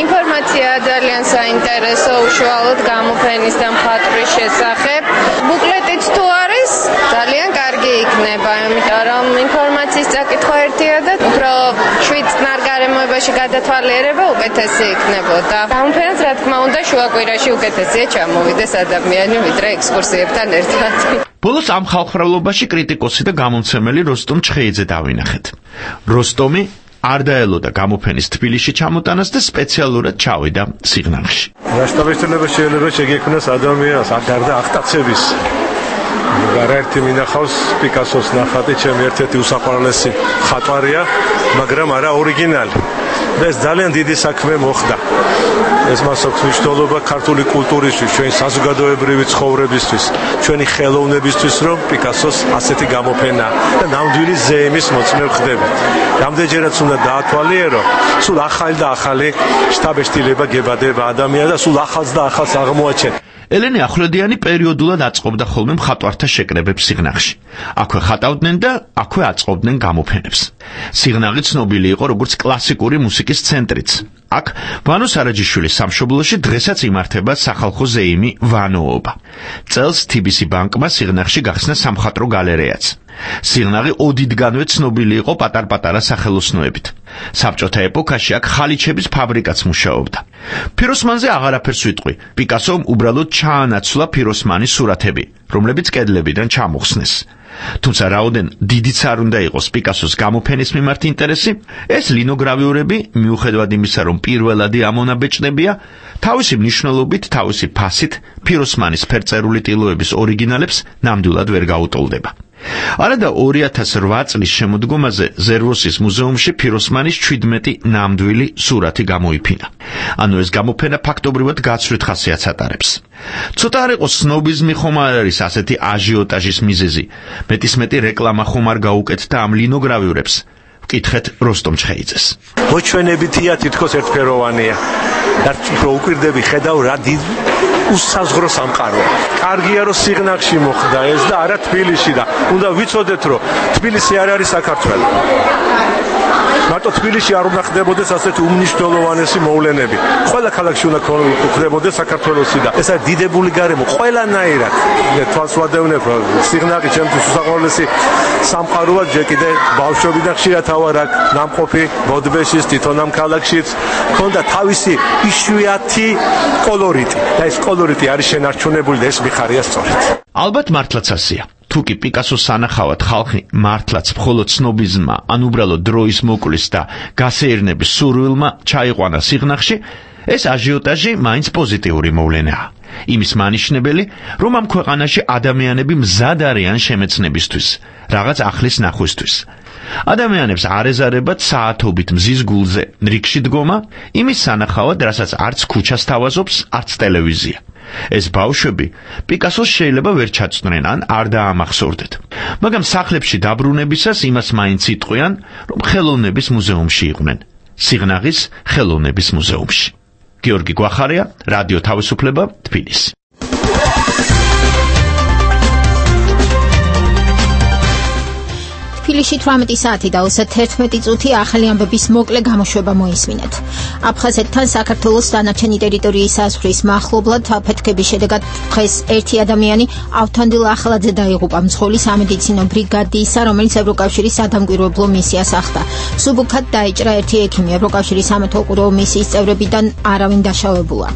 ინფორმაცია ძალიან საინტერესო უშუალოდ გამოფენის და მხატვრის შესახებ. ბუკლეტიც თუ არის, ძალიან კარგი იქნება, იმიტომ რომ ინფორმაციის წაკითხვა ერთია და უფრო შვიდ წნარ გარემოებაში გადათვალიერება უკეთესი იქნებოდა. გამოფენაც რა თქმა უნდა შუაკვირაში უკეთესია ჩამოვიდეს ადამიანი, ვიდრე ექსკურსიებთან ერთად. ბოლოს ამ ხალხმრავლობაში კრიტიკოსი და გამომცემელი როსტომ ჩხეიძე დავინახეთ. როსტომი არ დაელოდა გამოფენის თბილისში ჩამოტანას და სპეციალურად ჩავიდა სიღნაღში. რასტაბეჭდილება შეიძლება შეგექმნას ადამიანს გარდა აღტაცების. გარერთი მინახავს პიკასოს ნახატი, ჩემი ერთ-ერთი უსაყვარლესი მხატვარია, მაგრამ არა ორიგინალი. და ეს ძალიან დიდი საქმე მოხდა. ეს მას აქვს მნიშვნელობა ქართული კულტურისთვის, ჩვენი საზოგადოებრივი ცხოვრებისთვის, ჩვენი ხელოვნებისთვის, რომ პიკასოს ასეთი გამოფენა და ნამდვილი ზეიმის მოწმე ხდება. რამდენჯერაც უნდა დაათვალიერო, სულ ახალი და ახალი შთაბეჭდილება გებადება ადამიანს და სულ ახალს და ახალს აღმოაჩენ. ელენე ახვლედიანი პერიოდულად აწყობდა ხოლმე მხატვართა შეკრებებს სიღნაღში. აქვე ხატავდნენ და აქვე აწყობდნენ გამოფენებს. სიღნაღი ცნობილი იყო როგორც კლასიკური მუსიკის ცენტრიც. აქ ვანო სარაჯიშვილის სამშობლოში დღესაც იმართება სახალხო ზეიმი ვანოობა. წელს TBC ბანკმა სიღნაღში გახსნა სამხატვრო გალერეაც. სიღნაღი ოდითგანვე ცნობილი იყო პატარ-პატარა სახელოსნოებით. საბჭოთა ეპოქაში აქ ხალიჩების ფაბრიკაც მუშაობდა. ფიროსმანზე აღარაფერს ვიტყვი. პიკასომ უბრალოდ ჩაანაცვლა ფიროსმანის სურათები, რომლებიც კედლებიდან ჩამოხსნეს. თუმცა რაოდენ დიდიც არ უნდა იყოს პიკასოს გამოფენის მიმართ ინტერესი, ეს ლინოგრავიურები, მიუხედავად იმისა, რომ პირველადი ამონაბეჭდებია, თავისი მნიშვნელობით, თავისი ფასით ფიროსმანის ფერწერული ტილოების ორიგინალებს ნამდვილად ვერ გაუტოლდება. არადა 2008 წლის შემოდგომაზე ზერვოსის მუზეუმში ფიროსმანის 17 ნამდვილი სურათი გამოიფინა. ანუ ეს გამოფენა ფაქტობრივად გაცვლით ხასიათს ატარებს. ცოტა არ იყოს სნობიზმი ხომ არ არის ასეთი აჟიოტაჟის მიზეზი. მეტისმეტი რეკლამა ხომ არ გაუკეთდა ამ ლინოგრავიურებს. ვკითხეთ როსტომ ჩხეიძეს. მოჩვენებითია თითქოს ერთფეროვანია. რაც უფრო უკვირდები ხედავ რა დიდ უსაზღრო სამყაროა. კარგია რომ სიღნაღში მოხდა ეს და არა თბილისში და უნდა ვიცოდეთ რომ თბილისი არ არის საქართველო. მარტო თბილისში არ უნდა ხდებოდეს ასეთი უმნიშვნელოვანესი მოვლენები. ყველა ქალაქში უნდა ხდებოდეს საქართველოსი და ეს არის დიდებული გარემო ყველანაირად. თვალს ვადევნებ რომ სიღნაღი ჩემთვის უსაყვარლესი სამყაროა ჯერ კიდე ბავშვობიდან ხშირად ავარ აქ ნამყოფი ბოდბეშის თვითონ ამ ქალაქშიც ქონდა თავისი იშვიათი კოლორიტი და ეს კოლორიტი არის შენარჩუნებული და ეს მიხარია სწორედ. ალბათ მართლაც ასეა. თუკი პიკასოს სანახავად ხალხი მართლაც მხოლოდ ცნობიზმმა, ან უბრალოდ დროის მოკვლის და გასეირნების სურვილმა ჩაიყვანა სიღნაღში, ეს აჟიოტაჟი მაინც პოზიტიური მოვლენაა. იმის მანიშნებელი, რომ ამ ქვეყანაში ადამიანები მზად არიან შემეცნებისთვის, რაღაც ახლის ნახვისთვის. ადამიანებს არ ეზარებათ საათობით მზის გულზე რიგში დგომა, იმის სანახავად, რასაც არც ქუჩას თავაზობს, არც ტელევიზია. ეს ბავშვები პიკასოს შეიძლება ვერ ჩაწვნენ ან არ დაამახსოვრდეთ. მაგრამ სახლებში დაბრუნებისას იმას მაინც იტყვიან, რომ ხელოვნების მუზეუმში იყვნენ. სიღნაღის ხელოვნების მუზეუმში. გიორგი გვახარია, რადიო თავისუფლება, თბილისი. თბილისში 18 საათი და 31 წუთი ახალი ამბების მოკლე გამოშვება მოისმინეთ. აფხაზეთთან საქართველოს დანარჩენი ტერიტორიის საზღვრის მახლობლად აფეთქების შედეგად დღეს ერთი ადამიანი ავთანდილ ახალაძე დაიღუპა მძღოლის სამედიცინო ბრიგადისა, რომელიც ევროკავშირის სადამკვირვებლო მისიას ახდა. სუბუქად დაიჭრა ერთი ექიმი, ევროკავშირის სამეთვალყურეო მისიის წევრებიდან არავინ დაშავებულა.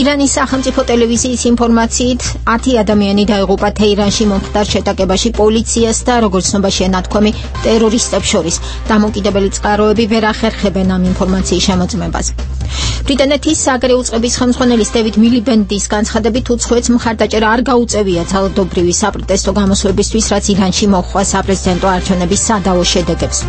ირანის სახელმწიფო ტელევიზიის ინფორმაციით 10 ადამიანი დაიღუპა თეირანში მომხდარ შეტაკებაში პოლიციას და როგორც ცნობაშია ნათქვამი ტერორისტებს შორის. დამოუკიდებელი წყაროები ვერ ახერხებენ ამ ინფორმაციის შემოწმებას. ბრიტანეთის საგარეო წყების ხელმძღვანელის დევიდ მილიბენდის განცხადებით უცხოეთს მხარდაჭერა არ გაუწევია ძალადობრივი საპროტესტო გამოსვლებისთვის, რაც ირანში მოჰყვა საპრეზიდენტო არჩევნების სადავო შედეგებს.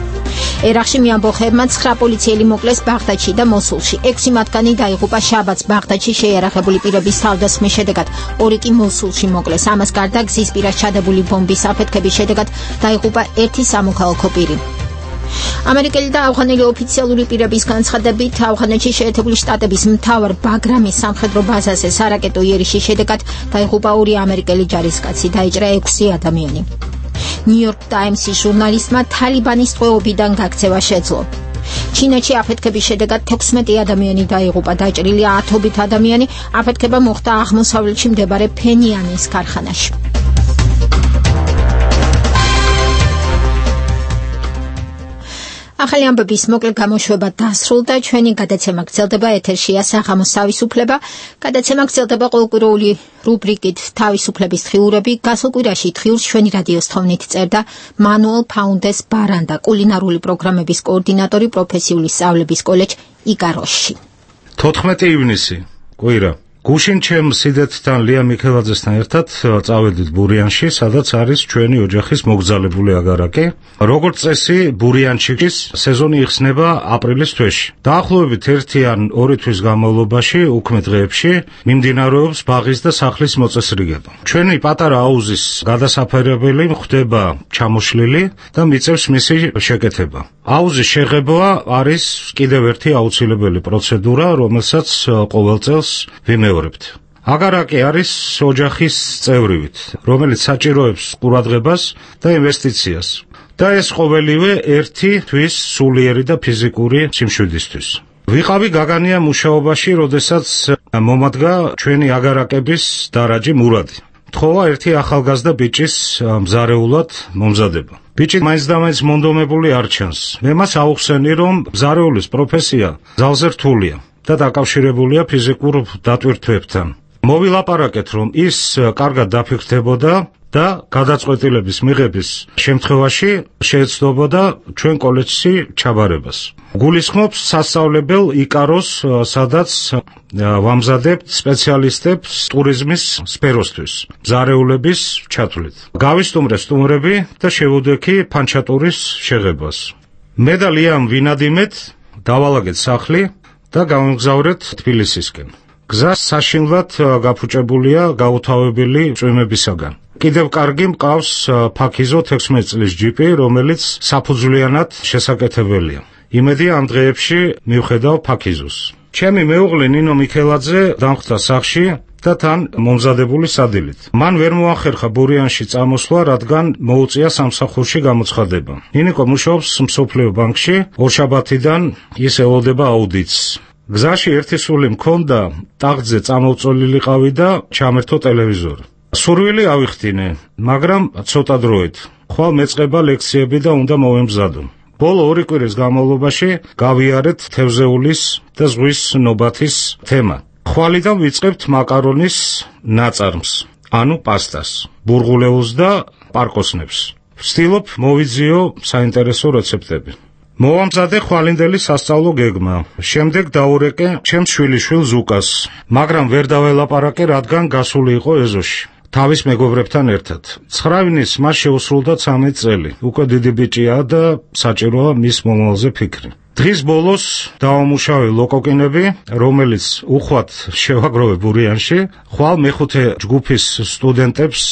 ერაყში მეამბოხეებმა 9 პოლიციელი მოკლეს ბაღდადში და მოსულში. 6 მათგანი დაიღუპა შაბათს ბაღდადში შეიარაღებული პირების თავდასხმის შედეგად. 2 კი მოსულში მოკლეს. ამას გარდა გზის პირას ჩადებული ბომბის აფეთქების შედეგად დაიღუპა 1 სამოქალაქო პირი. ამერიკელი და ავღანელი ოფიციალური პირების განცხადებით, ავღანეთში შეერთებული შტატების მთავარ ბაგრამის სამხედრო ბაზაზე სარაკეტო იერიშის შედეგად დაიღუპა 2 ამერიკელი ჯარისკაცი, დაიჭრა 6 ადამიანი. ნიუ-იორკ ტაიმსის ჟურნალისტმა თალიბანის ტყვეობიდან გაქცევა შეძლო. ჩინეთში აფეთქების შედეგად 16 ადამიანი დაიღუპა, დაჭრილია 10-ობით ადამიანი. აფეთქება მოხდა აღმოსავლეთში მდებარე ფენიანის ქარხანაში. ახალი ამბების მოკლე გამოშვება დასრულდა. ჩვენი გადაცემა გრძელდება, ეთერშია საღამოს თავისუფლება. გადაცემა გრძელდება ყოველკვირეული რუბრიკით თავისუფლების თხიურები. გასულ კვირაში თხიურს ჩვენი რადიოს თხოვნით წერდა მანუელ ფაუნდეს ბარანდა, კულინარული პროგრამების კოორდინატორი პროფესიული სწავლების კოლეჯ იკაროში. 14 ივნისი, კვირა. გუშინ ჩემ სიდეთთან ლია მიქელაძესთან ერთად წავედით ბურიანში, სადაც არის ჩვენი ოჯახის მოგზალებული აგარაკი. როგორც წესი, ბურიანჩიკის სეზონი იხსნება აპრილის თვეში. დაახლოებით 1 ან 2 თვის განმავლობაში, უქმე დღეებში, მიმდინარეობს ბაღის და სახლის მოწესრიგება. ჩვენი პატარა აუზის გადასაფერებელი ხდება ჩამოშლილი და მიწევს მისი შეკეთება. აუზის შეღება არის კიდევ ერთი აუცილებელი პროცედურა, რომელსაც ყოველ წელს ვიმეორებთ. აგარაკი არის ოჯახის წევრივით, რომელიც საჭიროებს ყურადღებას და ინვესტიციას. და ეს ყოველივე 1 თვის სულიერი და ფიზიკური სიმშვიდისთვის. ვიყავი გაგანია მუშაობაში, როდესაც მომადგა ჩვენი აგარაკების დარაჯი მურადი. თხოვა ერთი ახალგაზრდა ბიჭის მზარეულად მომზადება. ბიჭი მაინც და მაინც მონდომებული არ ჩანს. მე მას აუხსენი, რომ მზარეულის პროფესია ძალზე რთულია და დაკავშირებულია ფიზიკურ დატვირთვებთან. მოვილაპარაკეთ, რომ ის კარგად დაფიქრდებოდა და გადაწყვეტილების მიღების შემთხვევაში შეეცდობოდა ჩვენ კოლეჯში ჩაბარებას. გულისხმობს სასწავლებელ იკაროს, სადაც ვამზადებთ სპეციალისტებს ტურიზმის სფეროსთვის, მზარეულების ჩათვლით. გავისტუმრე სტუმრები და შევუდექი ფანჩატურის შეღებას. მე და ლიამ ვინადიმეთ, დავალაგეთ სახლი და გავიმგზავრეთ თბილისისკენ. გზა საშინლად გაფუჭებულია გაუთავებელი წვიმებისაგან. კიდევ კარგი მყავს ფაქიზო 16 წლის ჯიპი, რომელიც საფუძვლიანად შესაკეთებელია. იმედია ამ დღეებში მივხედავ ფაქიზოს. ჩემი მეუღლე ნინო მიქელაძე დამხვდა სახლში და თან მომზადებული სადილით. მან ვერ მოახერხა ბურიანში წამოსვლა, რადგან მოუწია სამსახურში გამოცხადება. ნინიკო მუშაობს მსოფლიო ბანკში, ორშაბათიდან ის ელოდება აუდიტს. გზაში ერთი სული მქონდა, ტახტზე წამოვწოლილიყავი და ჩამერთო ტელევიზორი. სურვილი ავიხდინე, მაგრამ ცოტა დროით. ხვალ მეწყება ლექციები და უნდა მოვემზადო. ბოლო 2 კვირის განმავლობაში გავიარეთ თევზეულის და ზღვის ნობათის თემა. ხვალიდან ვიწყებთ მაკარონის ნაწარმს, ანუ პასტას, ბურღულეულს და პარკოსნებს. ვცდილობ მოვიძიო საინტერესო რეცეპტები. მოვამზადე ხვალინდელი სასწავლო გეგმა. შემდეგ დაურეკე ჩემს შვილიშვილ ზუკას, მაგრამ ვერ დაველაპარაკე, რადგან გასული იყო ეზოში. თავის მეგობრებთან ერთად. 9 ივნის მას შეუსრულდა 13 წელი. უკვე დიდი ბიჭია და საჭიროა მის მომავალზე ფიქრი. დღის ბოლოს დავამუშავე ლოკოკინები, რომელიც უხვად შევაგროვე ბურიანში. ხვალ მეხუთე ჯგუფის სტუდენტებს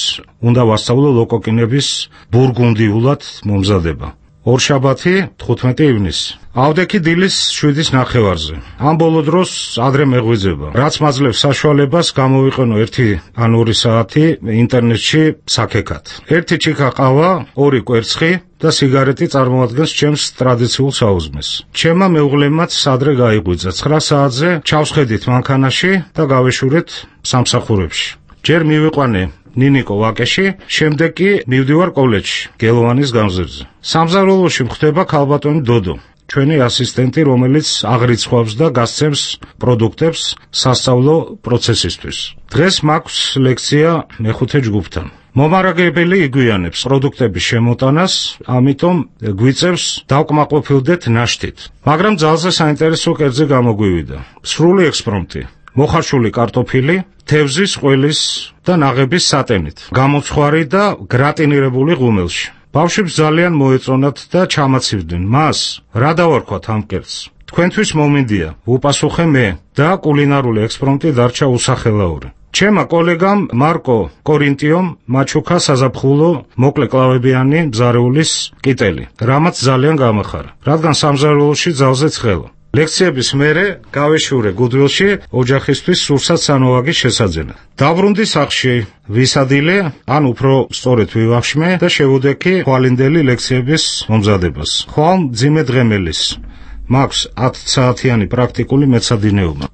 უნდა ვასწავლო ლოკოკინების ბურგუნდიულად მომზადება. ორშაბათი 15 ივნისი. ავდექი დილის 7:30-ზე. ამ ბოლო დროს ადრე მეღვიძება. რაც მაძლევს საშუალებას გამოვიყენო 1 ან 2 საათი ინტერნეტში საქეკად. 1 ჩიქა ყავა, 2 კვერცხი და სიგარეტი წარმოადგენს ჩემს ტრადიციულ საუზმეს. ჩემმა მეუღლემაც ადრე გაიღვიძა. 9 საათზე ჩავსხედით მანქანაში და გავეშურეთ სამსახურებში. ჯერ მივიყვანე ნინიკო ვაკეში, შემდეგ კი მივდივარ კოლეჯში, გელოვანის გამზირზე. სამზარეულოში მხდება ქალბატონი დოდო, ჩვენი ასისტენტი, რომელიც აღრიცხვავს და გასცემს პროდუქტებს სასწავლო პროცესისთვის. დღეს მაქვს ლექცია მეხუთე ჯგუფთან. მომარაგებელი იგვიანებს პროდუქტების შემოტანას, ამიტომ გვიწევს დავკმაყოფილდეთ ნაშთით. მაგრამ ძალზე საინტერესო კერძი გამოგვივიდა. სრული ექსპრომტი. მოხარშული კარტოფილი, თევზის, ყველის და ნაღების სატენით, გამოცხვარი და გრატინირებული ღუმელში. ბავშვებს ძალიან მოეწონათ და ჩამაცივდნენ მას, რა დავარქვათ ამ კერძს. თქვენთვის მომინდია, ვუპასუხე მე და კულინარული ექსპრომტი დარჩა უსახელაური. ჩემმა კოლეგამ მარკო კორინტიომ მაჩუქა საზაფხულო მოკლე კლავებიანი მზარეულის კიტელი, რამაც ძალიან გამახარა, რადგან სამზარეულოში ძალზე ცხელა. ლექციების მერე გავეშურე გუდვილში ოჯახისთვის სურსათ სანოვაგის შესაძენად. დაბრუნდი სახლში, ვისადილე, ან უფრო სწორედ ვივახშმე და შევუდექი ხვალინდელი ლექციების მომზადებას. ხვალ მძიმე დღემელის. მაქვს 10 საათიანი პრაქტიკული მეცადინეობა.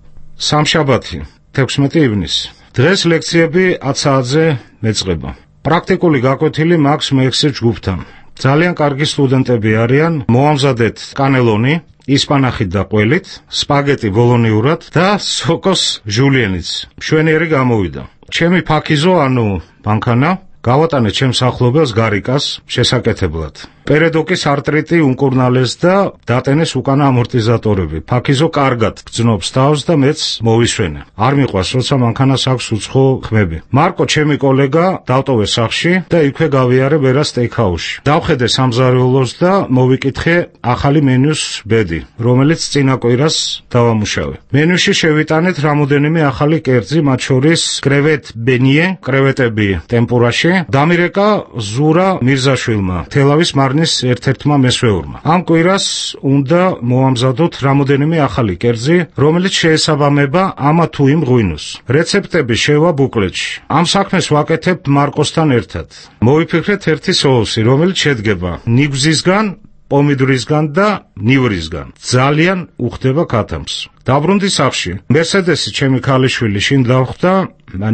სამშაბათი, 16 ივნისი. დღეს ლექციები 10 საათზე მეწყება. პრაქტიკული გაკვეთილი მაქვს მე-6 ჯგუფთან. ძალიან კარგი სტუდენტები არიან. მოვამზადეთ კანელონი, ისპანახით და ყველით, სპაგეტი ბოლონიურად და სოკოს ჟულიენიც. მშვენიერი გამოვიდა. ჩემი ფაქიზო, ანუ მანქანა, გავატანე ჩემს ახლობელს გარიკას შესაკეთებლად. პერედოკის არტრიტი უმკურნალეს და დატენეს უკანა ამორტიზატორები. ფაქიზო კარგად გრძნობს თავს და მეც მოვისვენე. არ მიყვარს, როცა მანქანას აქვს უცხო ხმები. მარკო, ჩემი კოლეგა, დავტოვე სახლში და იქვე გავიარე ვერა სტეიქჰაუსში. დავხედე სამზარეულოს და მოვიკითხე ახალი მენიუს ბედი, რომელიც წინა კვირას დავამუშავე. მენიუში შევიტანეთ რამოდენიმე ახალი კერძი, მათ შორის კრევეტ ბენიე, კრევეტები ტემპურაში, დამირეკა ზურა მირზაშვილმა, თელავის ერთ-ერთმა მესვეურმა. ამ კვირას უნდა მოვამზადოთ რამოდენიმე ახალი კერძი, რომელიც შეესაბამება ამა თუ იმ ღვინოს. რეცეპტები შევა ბუკლეტში. ამ საქმეს ვაკეთებ მარკოსთან ერთად. მოვიფიქრეთ ერთი соуსი, რომელიც შედგება ნიგვზისგან პომიდრისგან და ნივრისგან. ძალიან უხდება ქათამს. დაბრუნდი სახლში. მერსედესი ჩემი ქალიშვილი შინ დავხვდა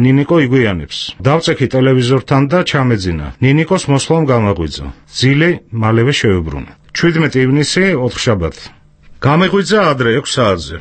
ნინიკო იგვიანებს. დავწექი ტელევიზორთან და ჩამეძინა. ნინიკოს მოსვლამ გამაღვიძა. ძილი მალევე შევებრუნე. 17 ივნისი, ოთხშაბათი. გამეღვიძა ადრე 6 საათზე.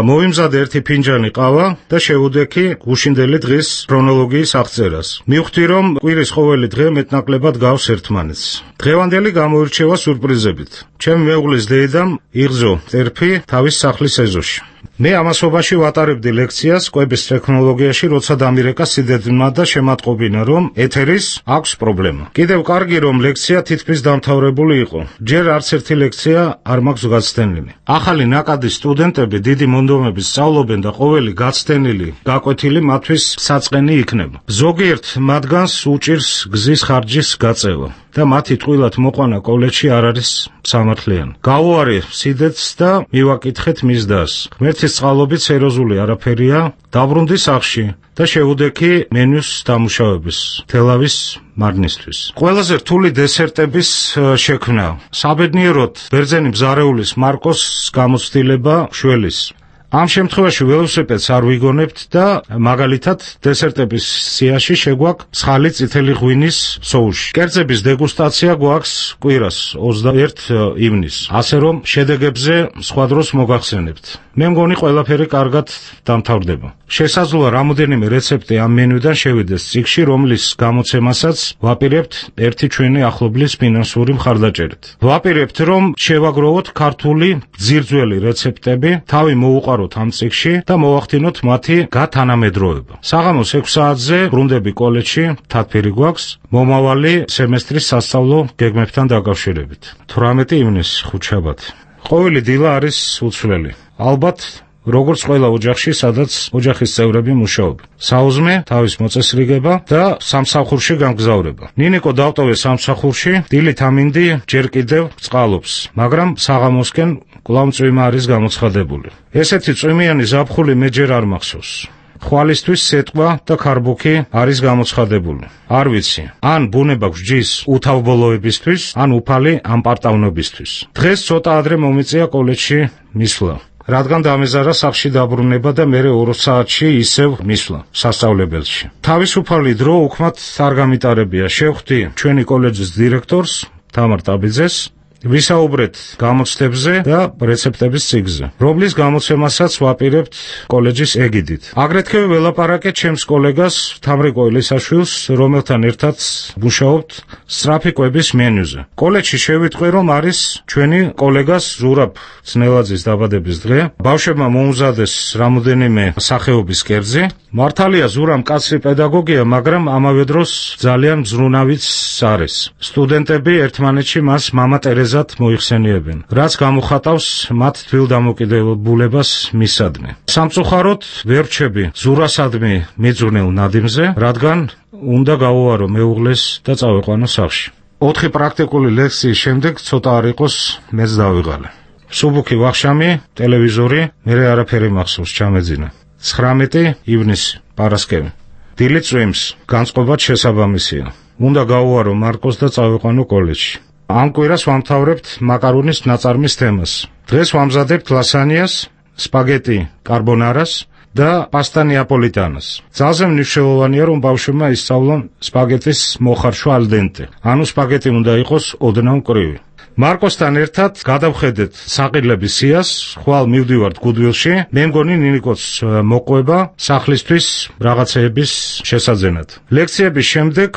მოვიმზადე ერთი ფინჯანი ყავა და შევუდექი გუშინდელი დღის ქრონოლოგიის აღწერას. მივხვდი, რომ კვირის ყოველი დღე მეტნაკლებად გავს ერთმანეთს. დღევანდელი გამოირჩევა სურპრიზებით. ჩემი მეუღლის დედამ იღზო ტერფი თავის სახლის ეზოში. მე ამასობაში ვატარებდი ლექციას კვების ტექნოლოგიაში, როცა დამირეკა სიდედმა და შემატყობინა, რომ ეთერის აქვს პრობლემა. კიდევ კარგი, რომ ლექცია თითქმის დამთავრებული იყო. ჯერ არც ერთი ლექცია არ მაქვს გაცდენილი. ახალი ნაკადის სტუდენტები დიდი მონდომებით სწავლობენ და ყოველი გაცდენილი, გაკვეთილი მათთვის საწყენი იქნება. ზოგიერთ მათგანს უჭირს გზის ხარჯის გაწევა და მათი ტყუილად მოყვანა კოლეჯში არ არის სამართლიანი. გავუარე სიდედს და მივაკითხეთ მის დას. ღმერთის წყალობით სერიოზული არაფერია. დაბრუნდი სახლში და შევუდექი მენიუს დამუშავების თელავის მარნისთვის. ყველაზე რთული დესერტების შექმნა. საბედნიეროდ ბერძენი მზარეულის მარკოს გამოცდილება შველის. ამ შემთხვევაში ველოსიპედს არ ვიგონებთ და მაგალითად დესერტების სიაში შეგვაქვს ცხალი წითელი ღვინის სოუსი. კერძების დეგუსტაცია გვაქვს კვირას 21 ივნისს. ასე რომ შედეგებზე სხვა დროს მოგახსენებთ. მე მგონი ყველაფერი კარგად დამთავრდება. შესაძლოა რამოდენიმე რეცეპტი ამ მენიუდან შევიდეს წიგნში, რომლის გამოცემასაც ვაპირებთ ერთი ჩვენი ახლობლის ფინანსური მხარდაჭერით. ვაპირებთ, რომ შევაგროვოთ ქართული ძირძველი რეცეპტები, თავი მოუყაროთ ამ წიგნში და მოვახდინოთ მათი გათანამედროვება. საღამოს 6 საათზე ბრუნდები კოლეჯში, თათფირი გვაქვს მომავალი სემესტრის სასწავლო გეგმებთან დაკავშირებით. 18 ივნისი, ხუთშაბათი. ყოველი დილა არის უცვლელი. ალბათ როგორც ყველა ოჯახში, სადაც ოჯახის წევრები მუშაობენ. საუზმე, თავის მოწესრიგება და სამსახურში გამგზავრება. ნინიკო დავტოვე სამსახურში, დილით ამინდი ჯერ კიდევ წყალობს, მაგრამ საღამოსკენ კვლავ წვიმა არის გამოცხადებული. ესეთი წვიმიანი ზაფხული მე ჯერ არ მახსოვს. ხვალისთვის სეტყვა და ქარბუქი არის გამოცხადებული. არ ვიცი, ან ბუნება გვსჯის უთავბოლოებისთვის, ან უფალი ამპარტავნობისთვის. დღეს ცოტა ადრე მომიწია კოლეჯში მისვლა. რადგან დამეზარა სახლში დაბრუნება და მერე 2 საათში ისევ მისვლა სასწავლებელში. თავისუფალი დრო უქმად არ გამიტარებია. შევხვდი ჩვენი კოლეჯის დირექტორს, თამარ ტაბიძეს, ვისაუბრეთ გამოცდებზე და რეცეპტების წიგნზე, რომლის გამოცემასაც ვაპირებთ კოლეჯის ეგიდით. აგრეთვე ველაპარაკეთ ჩემს კოლეგას თამრიკო ელისაშვილს, რომელთან ერთად მუშაობთ სწრაფი კვების მენიუზე. კოლეჯში შევიტყვი, რომ არის ჩვენი კოლეგას ზურაბ ძნელაძის დაბადების დღე. ბავშვებმა მოუმზადეს რამოდენიმე სახეობის კერძი. მართალია ზურამ კაცრი პედაგოგია, მაგრამ ამავე დროს ძალიან მზრუნავიც არის. სტუდენტები ერთმანეთში მას მამა ტერეზად მოიხსენიებენ, რაც გამოხატავს მათ თბილ დამოკიდებულებას მისადმი. სამწუხაროდ ვერ რჩები ზურასადმი მიძღვნილ ნადიმზე, რადგან უნდა გავუარო მეუღლეს და წავიყვანო სახლში. 4 პრაქტიკული ლექციის შემდეგ ცოტა არ იყოს მეც დავიღალე. სუბუქი ვახშამი, ტელევიზორი, მერე არაფერი მახსოვს, ჩამეძინა. 19 ივნისი, პარასკევი. დილით წვიმს, განწყობაც შესაბამისია. უნდა გავუარო მარკოს და წავიყვანო კოლეჯში. ამ კვირას ვამთავრებთ მაკარონის ნაწარმის თემას. დღეს ვამზადებთ ლასანიას, სპაგეტი კარბონარას და პასტა ნეაპოლიტანას. ძალზე მნიშვნელოვანია, რომ ბავშვებმა ისწავლონ სპაგეტის მოხარშვა ალ დენტე. ანუ სპაგეტი უნდა იყოს ოდნავ მკვრივი. მარკოსთან ერთად გადავხედეთ საყიდლების სიას, ხვალ მივდივართ გუდვილში. მე მგონი ნინიკოც მოყვება სახლისთვის რაღაცეების შესაძენად. ლექციების შემდეგ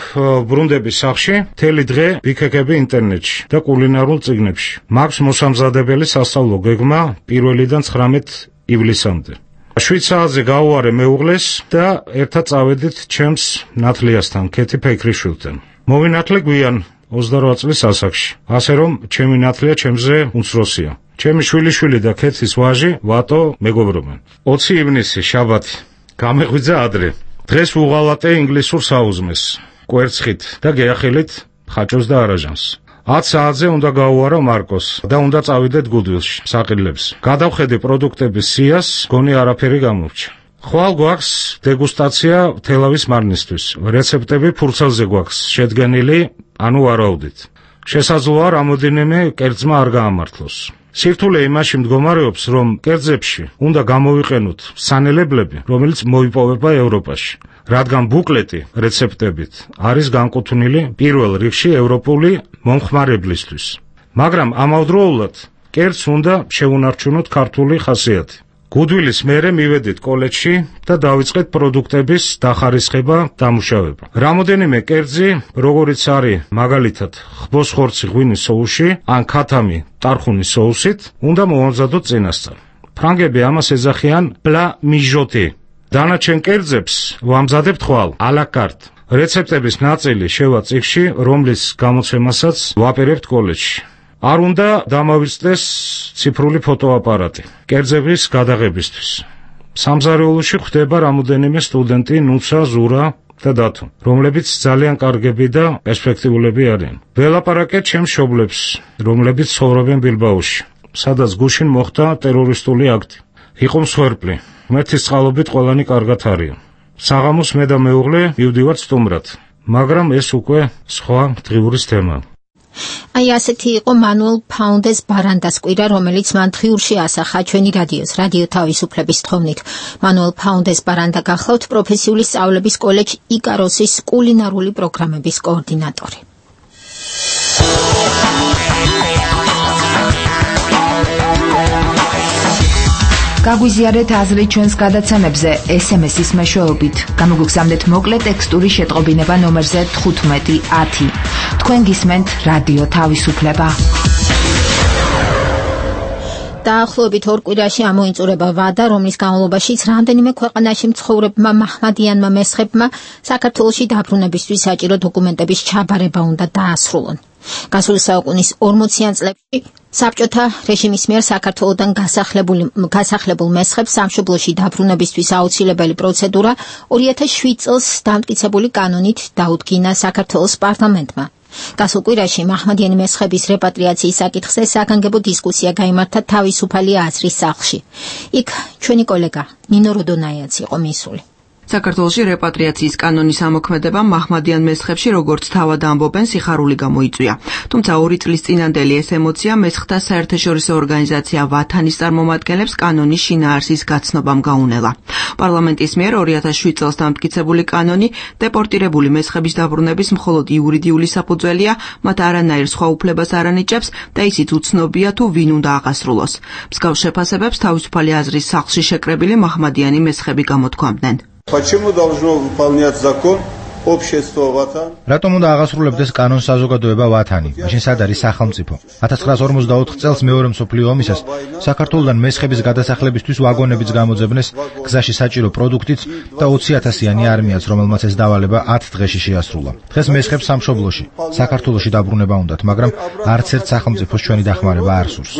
ბრუნდები სახლში, მთელი დღე ვიქეკები ინტერნეტში და კულინარულ წიგნებში. მაქვს მოსამზადებელი სასწავლო გეგმა 1-დან 19 ივლისამდე. 7 საათზე გავუარე მეუღლეს და ერთად წავედით ჩემს ნათლიასთან, ქეთი ფექრიშვილთან. მოვინათლე გვიან 28 წლის ასაკში. ასე რომ ჩემი ნათლია ჩემზე უმცროსია. ჩემი შვილიშვილი და ქეთის ვაჟი ვატო მეგობრობენ. 20 ივნისი, შაბათი. გამეღვიძა ადრე. დღეს ვუღალატე ინგლისურ საუზმეს, კვერცხით და გეახილით ხაჭოს და არაჟანს. 10 საათზე უნდა გავუარო მარკოს და უნდა წავიდეთ გუდვილში, საყიდლებს. გადავხედე პროდუქტების სიას, გონი არაფერი გამორჩა. ხვალ გვაქვს დეგუსტაცია თელავის მარნისთვის. რეცეპტები ფურცელზე გვაქვს შედგენილი, ანუ ვარაუდით. შესაძლოა რამოდენიმე კერძმა არ გაამართლოს. სირთულე იმაში მდგომარეობს, რომ კერძებში უნდა გამოვიყენოთ სანელებლები, რომელიც მოიპოვება ევროპაში, რადგან ბუკლეტი რეცეპტებით არის განკუთვნილი პირველ რიგში ევროპული მომხმარებლისთვის. მაგრამ ამავდროულად კერძს უნდა შეუნარჩუნოთ ქართული ხასიათი. გუდვილის მერე მივედით კოლეჯში და დავიწყეთ პროდუქტების დახარისხება, დამუშავება. რამოდენიმე კერძი, როგორიც არის მაგალითად ხბოს ხორცი ღვინის სოუსში ან ქათამი ტარხუნის სოუსით, უნდა მოვამზადოთ წინასწარ. ფრანგები ამას ეძახიან plat mijoté. დანარჩენ კერძებს ვამზადებთ ხვალ, à la carte. რეცეპტების ნაწილი შევა წიგნში, რომლის გამოცემასაც ვაპირებთ კოლეჯში. არ უნდა დამავიწყდეს ციფრული ფოტოაპარატი კერძების გადაღებისთვის. სამზარეულოში ხვდება რამოდენიმე სტუდენტი, ნუცა, ზურა და დათო, რომლებიც ძალიან კარგები და პერსპექტიულები არიან. ველაპარაკეთ ჩემს მშობლებს, რომლებიც ცხოვრობენ ბილბაოში, სადაც გუშინ მოხდა ტერორისტული აქტი. იყო მსხვერპლი. ღმერთის წყალობით ყველანი კარგად არიან. საღამოს მე და მეუღლე მივდივართ სტუმრად, მაგრამ ეს უკვე სხვა დღიურის თემაა. აი ასეთი იყო მანუელ ფაუნდეს ბარანდას კვირა, რომელიც მან დღიურში ასახა ჩვენი რადიო თავისუფლების თხოვნით. მანუელ ფაუნდეს ბარანდა გახლავთ პროფესიული სწავლების კოლეჯ იკაროსის კულინარული პროგრამების კოორდინატორი. გაგვიზიარეთ აზრი ჩვენს გადაცემებზე SMS-ის მეშვეობით. გამოგვიგზავნეთ მოკლე ტექსტური შეტყობინება ნომერზე 1510. თქვენ გისმენთ რადიო თავისუფლება. დაახლოებით 2 კვირაში ამოიწურება ვადა, რომლის განმავლობაშიც რამდენიმე ქვეყანაში მცხოვრებმა მაჰმადიანმა მესხებმა საქართველოში დაბრუნებისთვის საჭირო დოკუმენტების ჩაბარება უნდა დაასრულონ. გასული საუკუნის 40-იან წლებში საბჭოთა რეჟიმის მიერ საქართველოდან გასახლებულ მესხებს სამშობლოში დაბრუნებისთვის აუცილებელი პროცედურა 2007 წელს დამტკიცებული კანონით დაუდგინა საქართველოს პარლამენტმა. გასულ კვირაში მაჰმადიანი მესხების რეპატრიაციის საკითხზე საგანგებო დისკუსია გაიმართა თავისუფალი აზრის სახლში. იქ ჩვენი კოლეგა ნინო როდონაიაც იყო მისული. საქართველოში რეპატრიაციის კანონის ამოქმედება მაჰმადიან მესხებში როგორც თავად ამბობენ სიხარული გამოიწვია. თუმცა 2 წლის წინანდელი ეს ემოცია მესხთა საერთაშორისო ორგანიზაცია ვათანის წარმომადგენლებს კანონის შინაარსის გაცნობამ გაუნელა. პარლამენტის მიერ 2007 წელს დამტკიცებული კანონი დეპორტირებული მესხების დაბრუნების მხოლოდ იურიდიული საფუძველია, მათ არანაირ სხვა უფლებას არ ანიჭებს და ისიც უცნობია თუ ვინ უნდა აღასრულოს. მსგავს შეფასებებს თავისუფალი აზრის სახლში შეკრებილი მაჰმადიანი მესხები გამოთქვამდნენ. Почему должно выполнять закон общество Ватан? Რატომ უნდა აღასრულებდეს კანონს საზოგადოება ვათანი? მაშინ სად არის სახელმწიფო? 1944 წელს მეორე მსოფლიო ომისას საქართველოსთან მესხების გადასახლებისთვის ვაგონებიც გამოძებნეს გზაში საჭირო პროდუქტით და 20,000-იანი არმიაც, რომელმაც ეს დავალება 10 დღეში შეასრულა. დღეს მესხებს სამშობლოში, საქართველოში დაბრუნება უნდათ, მაგრამ არც ერთ სახელმწიფოს ჩვენი დახმარება არ სურს.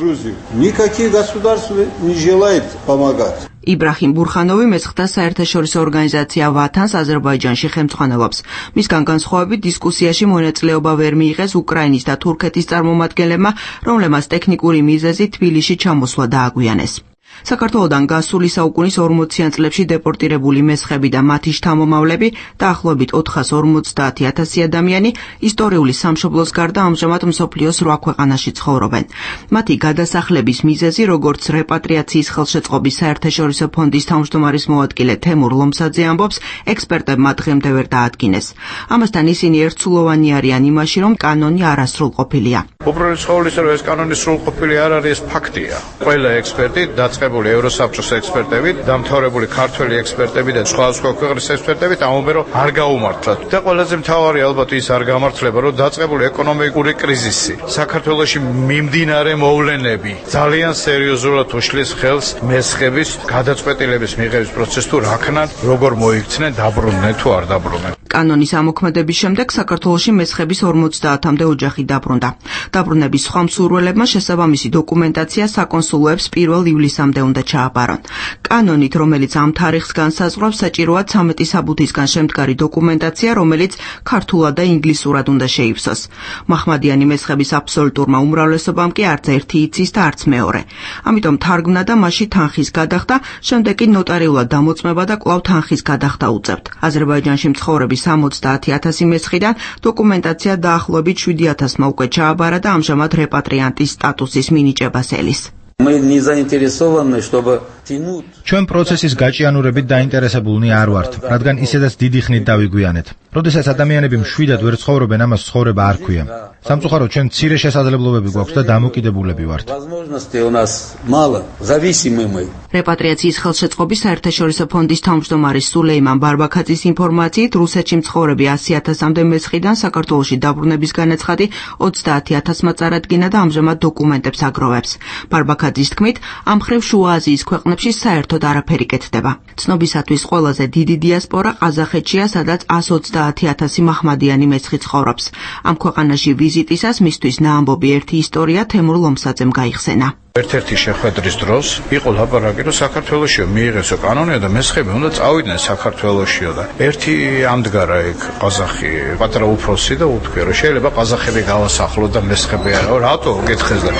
Никакие государства не желают помогать. იბრაჰიმ ბურხანოვი მესხთა საერთაშორისო ორგანიზაცია ვათანს აზერბაიჯანში ხელმძღვანელობს. მისგან განსხვავებით დისკუსიაში მონაწილეობა ვერ მიიღეს უკრაინის და თურქეთის წარმომადგენლებმა, რომლებმაც ტექნიკური მიზეზით თბილისში ჩამოსვლა დააგვიანეს. საქართველოდან გასული საუკუნის 40-იან წლებში დეპორტირებული მესხები და მათი შთამომავლები დაახლოებით 450,000 ადამიანი ისტორიული სამშობლოს გარდა ამჟამად მსოფლიოს 8 ქვეყანაში ცხოვრობენ. მათი გადასახლების მიზეზი, როგორც რეპატრიაციის ხელშეწყობის საერთაშორისო ფონდის თავმჯდომარის მოადგილე თემურ ლომსაძე ამბობს, ექსპერტებმა დღემდე ვერ დაადგინეს. ამასთან ისინი ერთსულოვანი არიან იმაში, რომ კანონი არასრულყოფილია. უბრალოდ ცხოვრისა, რომ ეს კანონი სრულყოფილი არ არის, ეს ფაქტია. ყველა ექსპერტი დაწყებული ევროსაბჭოს ექსპერტებით, დამთავრებული ქართველი ექსპერტები და სხვა ქვეყნის ექსპერტებით ამბობენ, რომ არ გაუმართლათ. და ყველაზე მთავარი ალბათ ის არ გამართლება, რომ დაწყებული ეკონომიკური კრიზისი, საქართველოში მიმდინარე მოვლენები ძალიან სერიოზულად უშლის ხელს მესხების გადაწყვეტილების მიღების პროცესს თუ რაქნან, როგორ მოიქცნენ, დაბრუნდნენ თუ არ დაბრუნდნენ. კანონის ამოქმედების შემდეგ საქართველოში მესხების 50-მდე ოჯახი დაბრუნდა. დაბრუნების სხვა მსურველებმა შესაბამისი დოკუმენტაცია საკონსულოებს 1 ივლისამდე უნდა ჩააბარონ. კანონით, რომელიც ამ თარიღს განსაზღვრავს, საჭიროა 13 საბუთისგან შემდგარი დოკუმენტაცია, რომელიც ქართულად და ინგლისურად უნდა შეივსოს. მაჰმადიანი მესხების აბსოლუტურმა უმრავლესობამ კი არც ერთი იცის და არც მეორე. ამიტომ თარგმნა და მასში თანხის გადახდა, შემდეგ კი ნოტარიულად დამოწმება და კვლავ თანხის გადახდა უწევთ. აზერბაიჯანში მცხოვრები 70,000 მესხიდან დოკუმენტაცია დაახლოებით 7,000-მა უკვე ჩააბარა და ამჟამად რეპატრიანტის სტატუსის მინიჭებას ელის. ჩვენ პროცესის გაჭიანურებით დაინტერესებულნი არ ვართ, რადგან ისედაც დიდი ხნით დავიგვიანეთ. როდესაც ადამიანები მშვიდად ვერ ცხოვრობენ, ამას ცხოვრება არ ქვია. სამწუხაროდ ჩვენ მცირე შესაძლებლობები გვაქვს და დამოკიდებულები ვართ. რეპატრიაციის ხელშეწყობის საერთაშორისო ფონდის თავმჯდომარის სულეიმან ბარბაქაძის ინფორმაციით, რუსეთში მცხოვრები 100,000-მდე მესხიდან საქართველოში დაბრუნების განაცხადი 30,000-მა წარადგინა და ამჟამად დოკუმენტებს აგროვებს. ბარბაქაძის თქმით, ამ მხრივ შუა აზიის ქვეყნებში საერთოდ არაფერი კეთდება. ცნობისათვის ყველაზე დიდი დიასპორა ყაზახეთშია, სადაც 130,000 მაჰმადიანი მესხი ცხოვრობს. ამ ქვეყანაში ვიზიტისას მისთვის ნაამბობი ერთი ისტორია თემურ ლომსაძემ გაიხსენა. ერთ-ერთი შეხვედრის დროს იყო ლაპარაკი, რომ საქართველოსშიო მიიღესო კანონია და მესხები უნდა წავიდნენ საქართველოსშიო და ერთი ამდგარა ეგ ყაზახი, პატარა უფროსი და უთქვია, რომ შეიძლება ყაზახები გავასახლოთ და მესხები არა, რატო გეთხეს და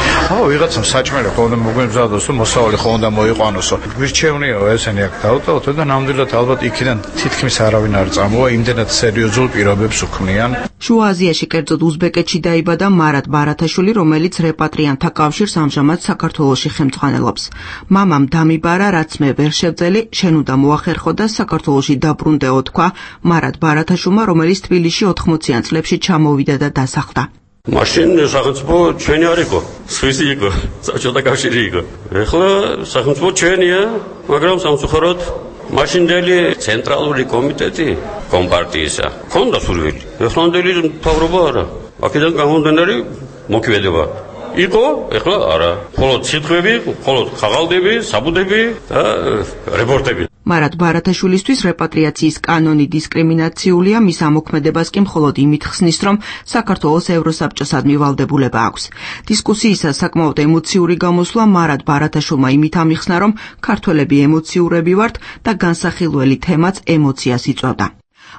ვიღაცამ საჭმელი ხომ უნდა მოგვემზადოს, თუ მოსავალი ხომ უნდა მოიყვანოსო. გვირჩევნიაო ესენი აქ დავტოვოთ და ნამდვილად ალბათ იქიდან თითქმის არავინ არ წამოვა, იმდენად სერიოზულ პირობებს უქმნიან. შუა აზიაში, კერძოდ უზბეკეთში დაიბადა მარად ბარათაშვილი, რომელიც რეპატრიანტთა კავშირს ამჟამად საქართველოში ხელმძღვანელობს. მამამ დამიბარა, რაც მე ვერ შევძელი, შენ უნდა მოახერხო და საქართველოში დაბრუნდეო, თქვა მარად ბარათაშვილმა, რომელიც თბილისში 80-იან წლებში ჩამოვიდა და დასახლდა. მაშინ სახელმწიფო ჩვენი არ იყო, სვისი იყო, საბჭოთა კავშირი იყო. ეხლა სახელმწიფო ჩვენია, მაგრამ სამწუხაროდ მაშინდელი ცენტრალური კომიტეტი კომპარტიისა ქონდა სურვილი. ეხლანდელი მთავრობა არა. აქედან გამომდინარე მოქმედება იყო, ეხლა არა. მხოლოდ სიტყვები, მხოლოდ ხაღალდები, საბუდები და რეპორტები. მარად ბარათაშვილისთვის რეპატრიაციის კანონი დისკრიმინაციულია, მის ამოქმედებას კი მხოლოდ იმით ხსნის, რომ საქართველოს ევროსაბჭოსადმი ვალდებულება აქვს. დისკუსიისას საკმაოდ ემოციური გამოსვლა მარად ბარათაშვილმა იმით ამიხსნა, რომ ქართველები ემოციურები ვართ და განსახილველი თემაც ემოციას იწვევდა.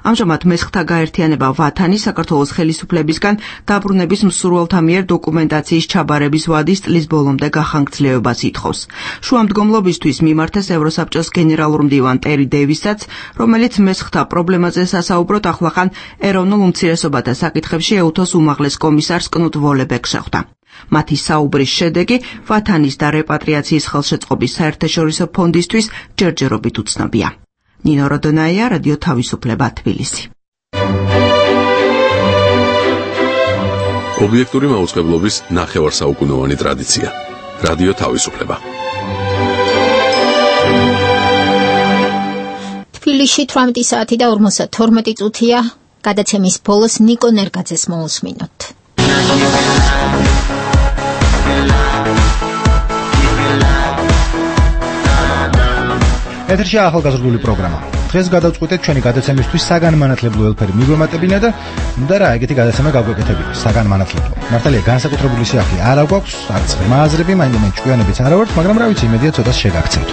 ამჟამად მესხთა გაერთიანება ვათანი საქართველოს ხელისუფლებისგან დაბრუნების მსურველთა მიერ დოკუმენტაციის ჩაბარების ვადის წლის ბოლომდე გახანგრძლივებას ითხოვს. შუამდგომლობისთვის მიმართეს ევროსაბჭოს გენერალურ მდივან ტერი დევისაც, რომელიც მესხთა პრობლემაზე სასაუბროდ ახლახან ეროვნულ უმცირესობათა საკითხებში ეუთოს უმაღლეს კომისარს კნუტ ვოლებეკს შეხვდა. მათი საუბრის შედეგი ვათანის და რეპატრიაციის ხელშეწყობის საერთაშორისო ფონდისთვის ჯერჯერობით უცნობია. ნინო როდონაია, რადიო თავისუფლება, თბილისი. ობიექტური მაუწყებლობის ნახევარსაუკუნოვანი ტრადიცია. რადიო თავისუფლება. თბილისში 18 საათი და 52 წუთია. გადაცემის ბოლოს ნიკო ნერგაძეს მოусმინოთ. ეთერში ახალგაზრდული პროგრამა. დღეს გადავწყვიტეთ ჩვენი გადაცემისთვის საგანმანათლებლო ელფერი მიგვემატებინა და ნუ რა ეგეთი გადაცემა გავგვეკეთებინა საგანმანათლებლო. მართალია განსაკუთრებული სიახლე არ აქვს, არც ღრმა აზრები, მაინც ჭკვიანებიც არა ვართ, მაგრამ რა ვიცი, იმედია ცოტას შეგაქცევთ.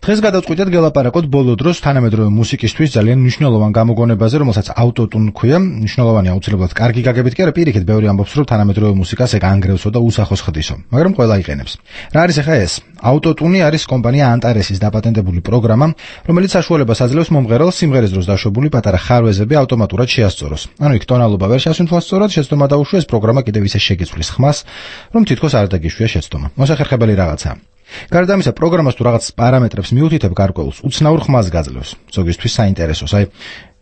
დღეს გადავწყვიტეთ გელაპარაკოთ ბოლო დროს თანამედროვე მუსიკისთვის ძალიან მნიშვნელოვან გამოგონებაზე, რომელსაც ავტოტუნ ქვია. მნიშვნელოვანი აუცილებლად კარგი გაგებით კი არა, პირიქით ბევრი ამბობს, რომ თანამედროვე მუსიკას ეგ ანგრევსო და უსახოს ხდისო, მაგრამ ყველა იყენებს. რა არის ახლა ეს? ავტოტუნი არის კომპანია ანტარესის დაპატენტებული პროგრამა, რომელიც საშუალებას აძლევს მომღერალს სიმღერის დროს დაშვებული პატარა ხარვეზები ავტომატურად შეასწოროს. ანუ იქ ტონალობა ვერ შეასვენთოს სწორად, შეცდომა დაუშვეს, პროგრამა კიდევ ისე შეგიცვლის ხმას, რომ თითქოს არ დაგიშვია შეცდომა. მოსახერხებელი რაღაცაა. გარდა ამისა, პროგრამას თუ რაღაც პარამეტრებს მიუთითებ გარკვეულს, უცნაურ ხმას გაძლევს. ზოგისთვის საინტერესოს. აი,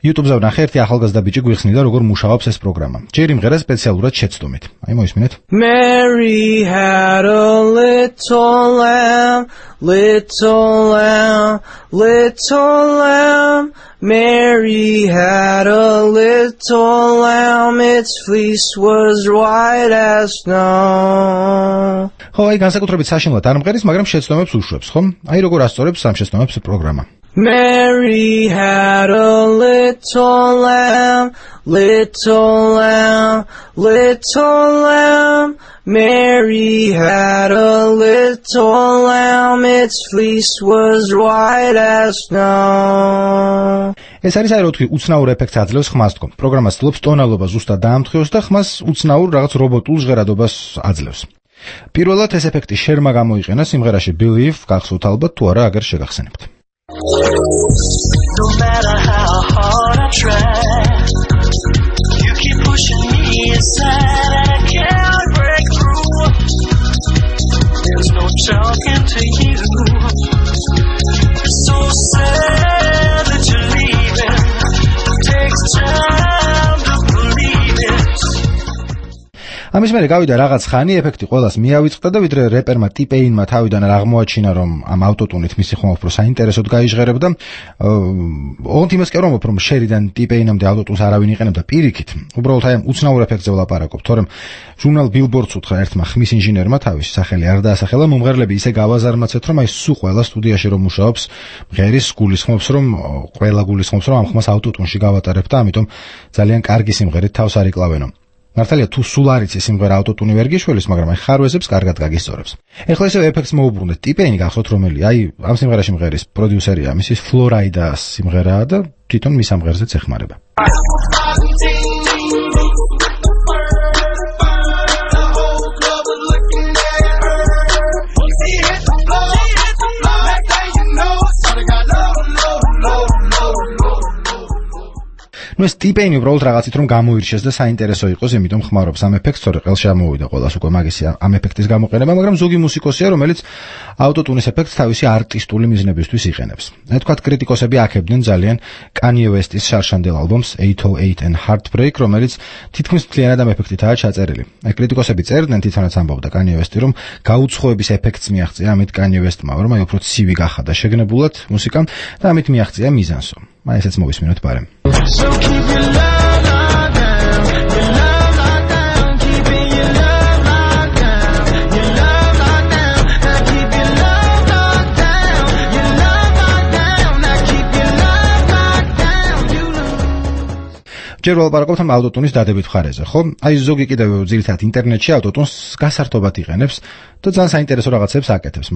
YouTube-ზე ვნახე ერთი ახალგაზრდა ბიჭი გვიხსნიდა, როგორ მუშაობს ეს პროგრამა. ჯერ იმღერა სპეციალურად შეცდომით. აი, მოისმინეთ. Mary had a little lamb, little lamb, little lamb. Mary had a little lamb, its fleece was white as snow. ხო, აი, განსაკუთრებით საშინლად არ მღერის, მაგრამ შეცდომებს უშვებს, ხო? აი, როგორ ასწორებს ამ შეცდომებს პროგრამა. Mary had a little lamb, little lamb, little lamb. Mary had a little lamb, its fleece was white as snow. ეს არის აი, რო თქვი, უცნაურ ეფექტს აძლევს ხმას თქო. პროგრამა ცდილობს ტონალობა ზუსტად დაამტყიოს და ხმას უცნაურ რაღაც რობოტულ ჟღერადობას აძლევს. პირველად ეს ეფექტი შერმა გამოიყენა სიმღერაში Believe, გახსოვთ ალბათ თუ არა, აგერ შეგახსენებთ. No matter how hard I try, you keep pushing me aside and I can't break through. There's no talking to you. It's so sad that you're leaving. It takes time to believe it. ამის მერე გავიდა რაღაც ხანი, ეფექტი ყველას მიავიწყდა და ვიდრე რეპერმა ტიპეინმა თავიდან არ აღმოაჩინა, რომ ამ ავტოტუნით მისი ხმა უფრო საინტერესოდ გაიჟღერებდა, ოღონდ იმას კი არ ვამბობ, რომ შერიდან ტიპეინამდე ავტოტუნს არავინ იყენებდა პირიქით. უბრალოდ აი ამ უცნაურ ეფექტზე ვლაპარაკობ, თორემ ჟურნალ Billboard-ს უთხრა ერთმა ხმის ინჟინერმა თავის სახელი არ დაასახელა, მომღერლები ისე გავაზარმაცეთ, რომ აი სულ ყველა სტუდიაში რომ მუშაობს, მღერის გულისხმობს, რომ ყველა გულისხმობს, რომ ამ ხმას ავტოტუნში გავატარებ და ამიტომ ძალიან კარგი სიმღერით თავს არ იკლავენო. მართალია თუ სულ არ იცი სიმღერა ავტოტუნი ვერ გიშველის, მაგრამ აი ხარვეზებს კარგად გაგისწორებს. ეხლა ესე ეფექტს მოუბრუნდეთ. ტიპეინი გახსოვთ რომელი? აი ამ სიმღერაში მღერის პროდიუსერია, მისის Florida-ს სიმღერაა და თვითონ მის ამღერზეც ეხმარება. ნუ ეს ტიპეინი უბრალოდ რაღაცით რომ გამოირჩეს და საინტერესო იყოს, იმიტომ ხმარობს ამ ეფექტს, თორე ყელში ამოვიდა ყველას უკვე მაგისი ამ ეფექტის გამოყენება, მაგრამ ზოგი მუსიკოსია, რომელიც ავტოტუნის ეფექტს თავისი არტისტული მიზნებისთვის იყენებს. აი თქვათ კრიტიკოსები აქებდნენ ძალიან Kanye West-ის შარშანდელ ალბომს 808 and Heartbreak, რომელიც თითქმის მთლიანად ამ ეფექტითაა ჩაწერილი. აი კრიტიკოსები წერდნენ, თვითონაც ამბობდა Kanye West-ი, რომ გაუცხოების ეფექტს მიაღწია ამით Kanye West-მა, რომ აი უფრო ცივი გახადა შეგნებულად მუსიკამ და ამით მიაღწია მიზანსო. აი ესეც მოვისმინოთ ბარემ. So keep your love locked down, your love locked down, keeping your love locked down, your love locked down, now keep your love locked down, your love locked down, now keep your love locked down, you lose. ჯერ ვალაპარაკობთ ამ ავტოტუნის დადებით მხარეზე, ხო? აი ზოგი კიდევ ძირითადად ინტერნეტში ავტოტუნს გასართობად იყენებს და ძალიან საინტერესო რაღაცებს აკეთებს.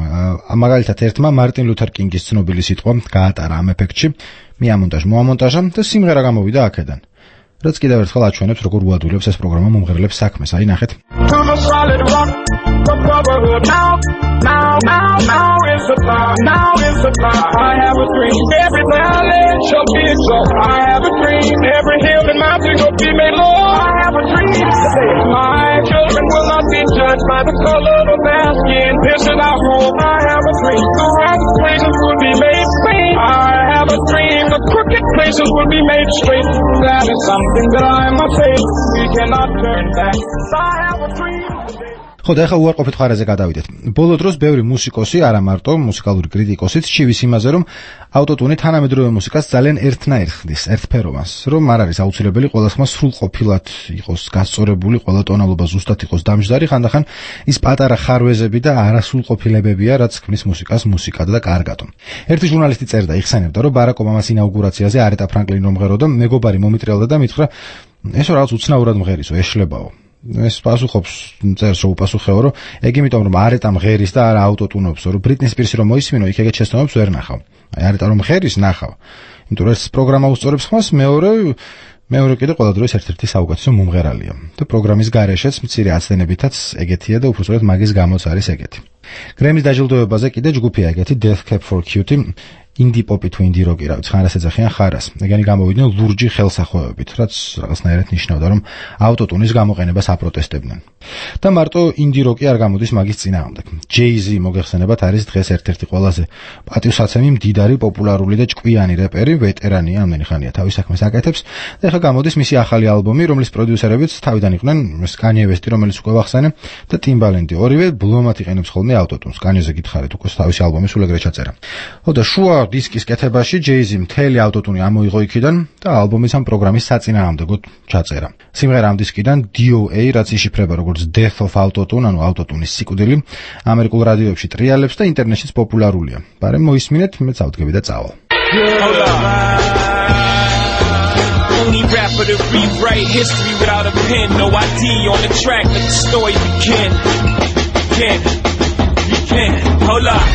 მაგალითად ერთმა მარტინ ლუთერ კინგის ცნობილი სიტყვა გაატარა ამ ეფექტში, მოამონტაჟა და სიმღერა გამოვიდა აქედან. რაც კიდევ ერთხელ აჩვენებს, როგორ უადვილებს ეს პროგრამა მომღერლებს საქმეს. აი ნახეთ. The crooked places will be made straight. That is something that I must say. We cannot turn back. I have a dream. ხო და ახლა უარყოფით ხარაზე გადავიდეთ. ბოლო დროს ბევრი მუსიკოსი, არა მარტო მუსიკალური კრიტიკოსიც ჩივის იმაზე, რომ ავტოტუნი თანამედროვე მუსიკას ძალიან ერთნაირ ხდის, ერთფეროვანს, რომ არ არის აუცილებელი ყველა ხმა სრულყოფილად იყოს გასწორებული, ყველა ტონალობა ზუსტად იყოს დამჯდარი, ხანდახან ის პატარა ხარვეზები და არასრულყოფილებებია, რაც ქმნის მუსიკას მუსიკად და კარგად. ერთი ჟურნალისტი წერდა, იხსენებდა, რომ ბარაკ ობამას ინაუგურაციაზე არეტა ფრანკლინი რომ მღეროდა, მეგობარი მომიტრიალდა და მითხრა, ესო რაღაც უცნაურად მღერისო, ეშლებაო. ეს პასუხობს წერს რომ უპასუხეო, რომ ეგ იმიტომ რომ არეტა მღერის და არა ავტოტუნობსო, რომ ბრიტნი სპირსი რომ მოისმინო, იქ ეგეთ შეცდომებს ვერ ნახავ. აი არეტა რომ მღერის ნახავ. იმიტომ რომ ეს პროგრამა უსწორებს ხმას, მეორე კიდე ყველა დროის ერთ-ერთი საუკეთესო მომღერალია. და პროგრამის გარეშეც მცირე აცდენებითაც ეგეთია და უბრალოდ მაგის გამოც არის ეგეთი. გრემის დაჯილდოებაზე კიდე ჯგუფია ეგეთი Death Cab for Cutie, ინდი პოპი თუ ინდი როკი, რა ვიცი, ხარას ეძახიან ხარას. ეგენი გამოვიდნენ ლურჯი ხელსახვევებით, რაც რაღაცნაირად ნიშნავდა, რომ ავტოტუნის გამოყენებას აპროტესტებდნენ. და მარტო ინდი როკი არ გამოდის მაგის წინააღმდეგ. Jay-Z მოგეხსენებათ არის დღეს ერთ-ერთი ყველაზე პატივსაცემი, მდიდარი, პოპულარული და ჭკვიანი რეპერი, ვეტერანია, ამდენი ხანია თავის საქმეს აკეთებს და ეხლა გამოდის მისი ახალი ალბომი, რომლის პროდიუსერებიც თავიდან იყვნენ Kanye West-ი, რომელიც უკვე ვახსენე, და Timbaland-ი. ორივე ბლომად იყენებს ხოლმე ავტოტუნს. Kanye-ზე გითხარით, უკვე თავისი ალბომი სულ ეგრე ჩაწერა. ხო და შუა დისკის კეთებაში Jay-Z მთელი ავტოტუნი ამოიღო იქიდან და ალბომის ამ პროგრამის საწინააღმდეგოდ ჩაწერა. სიმღერა ამ დისკიდან DOA, რაც იშიფრება როგორც Death of Autotune, ანუ ავტოტუნის სიკვდილი, ამერიკულ რადიოებში ტრიალებს და ინტერნეტშიც პოპულარულია. ბარემ მოისმინეთ, მეც ავდგები და წავალ. Only rapper to rewrite history without a pen. No ID on the track, let the story begin. You can, hold up.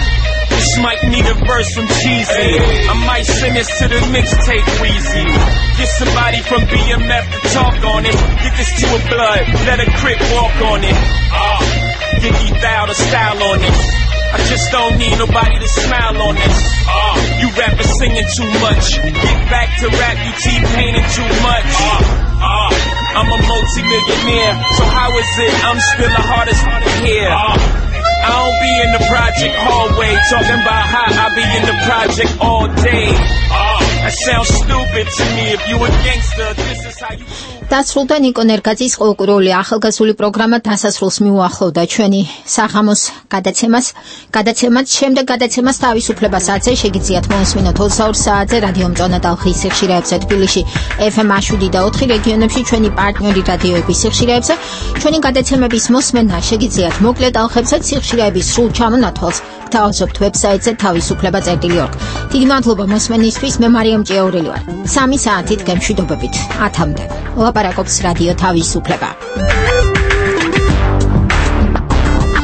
This might need a verse from Cheesy. I might send this to the mixtape Weezy. Get somebody from BMF to talk on it. Get this to a blood, let a crip walk on it. Biggie style to style on it. I just don't need nobody to smile on it. You rappers singing too much. Get back to rap, you T-painting too much. I'm a multi-millionaire, so how is it I'm still the hardest to hear? I don't be in the project hallway talking about how I be in the project all day. That sounds stupid to me. If you a gangster, this is how you დასრულდა ნიკო ნერგაძის ყოველკვირეული ახალგაზრდული პროგრამა დასასრულს მიუახლოვდა ჩვენი საღამოს გადაცემაც შემდეგ გადაცემას თავისუფლებასაც შეგიძლიათ მოусმინოთ 22 საათზე რადიო მწონა დალხის სიხშირეებზე თბილისში FM 7 და 4 რეგიონებში ჩვენი პარტნიორი რადიოების სიხშირეებზე ჩვენი გადაცემების მოსმენა შეგიძლიათ მოკლე დალხებსაც სიხშირეების სრულ ჩამონათვალს გთავაზობთ ვებსაიტზე თავისუფლება.org. დიდი მადლობა მოსმენისთვის. მე მარიამ ჭიაურელი ვარ. 3 საათით გემშვიდობებით 10-მდე. ლაპარაკობს რადიო თავისუფლება.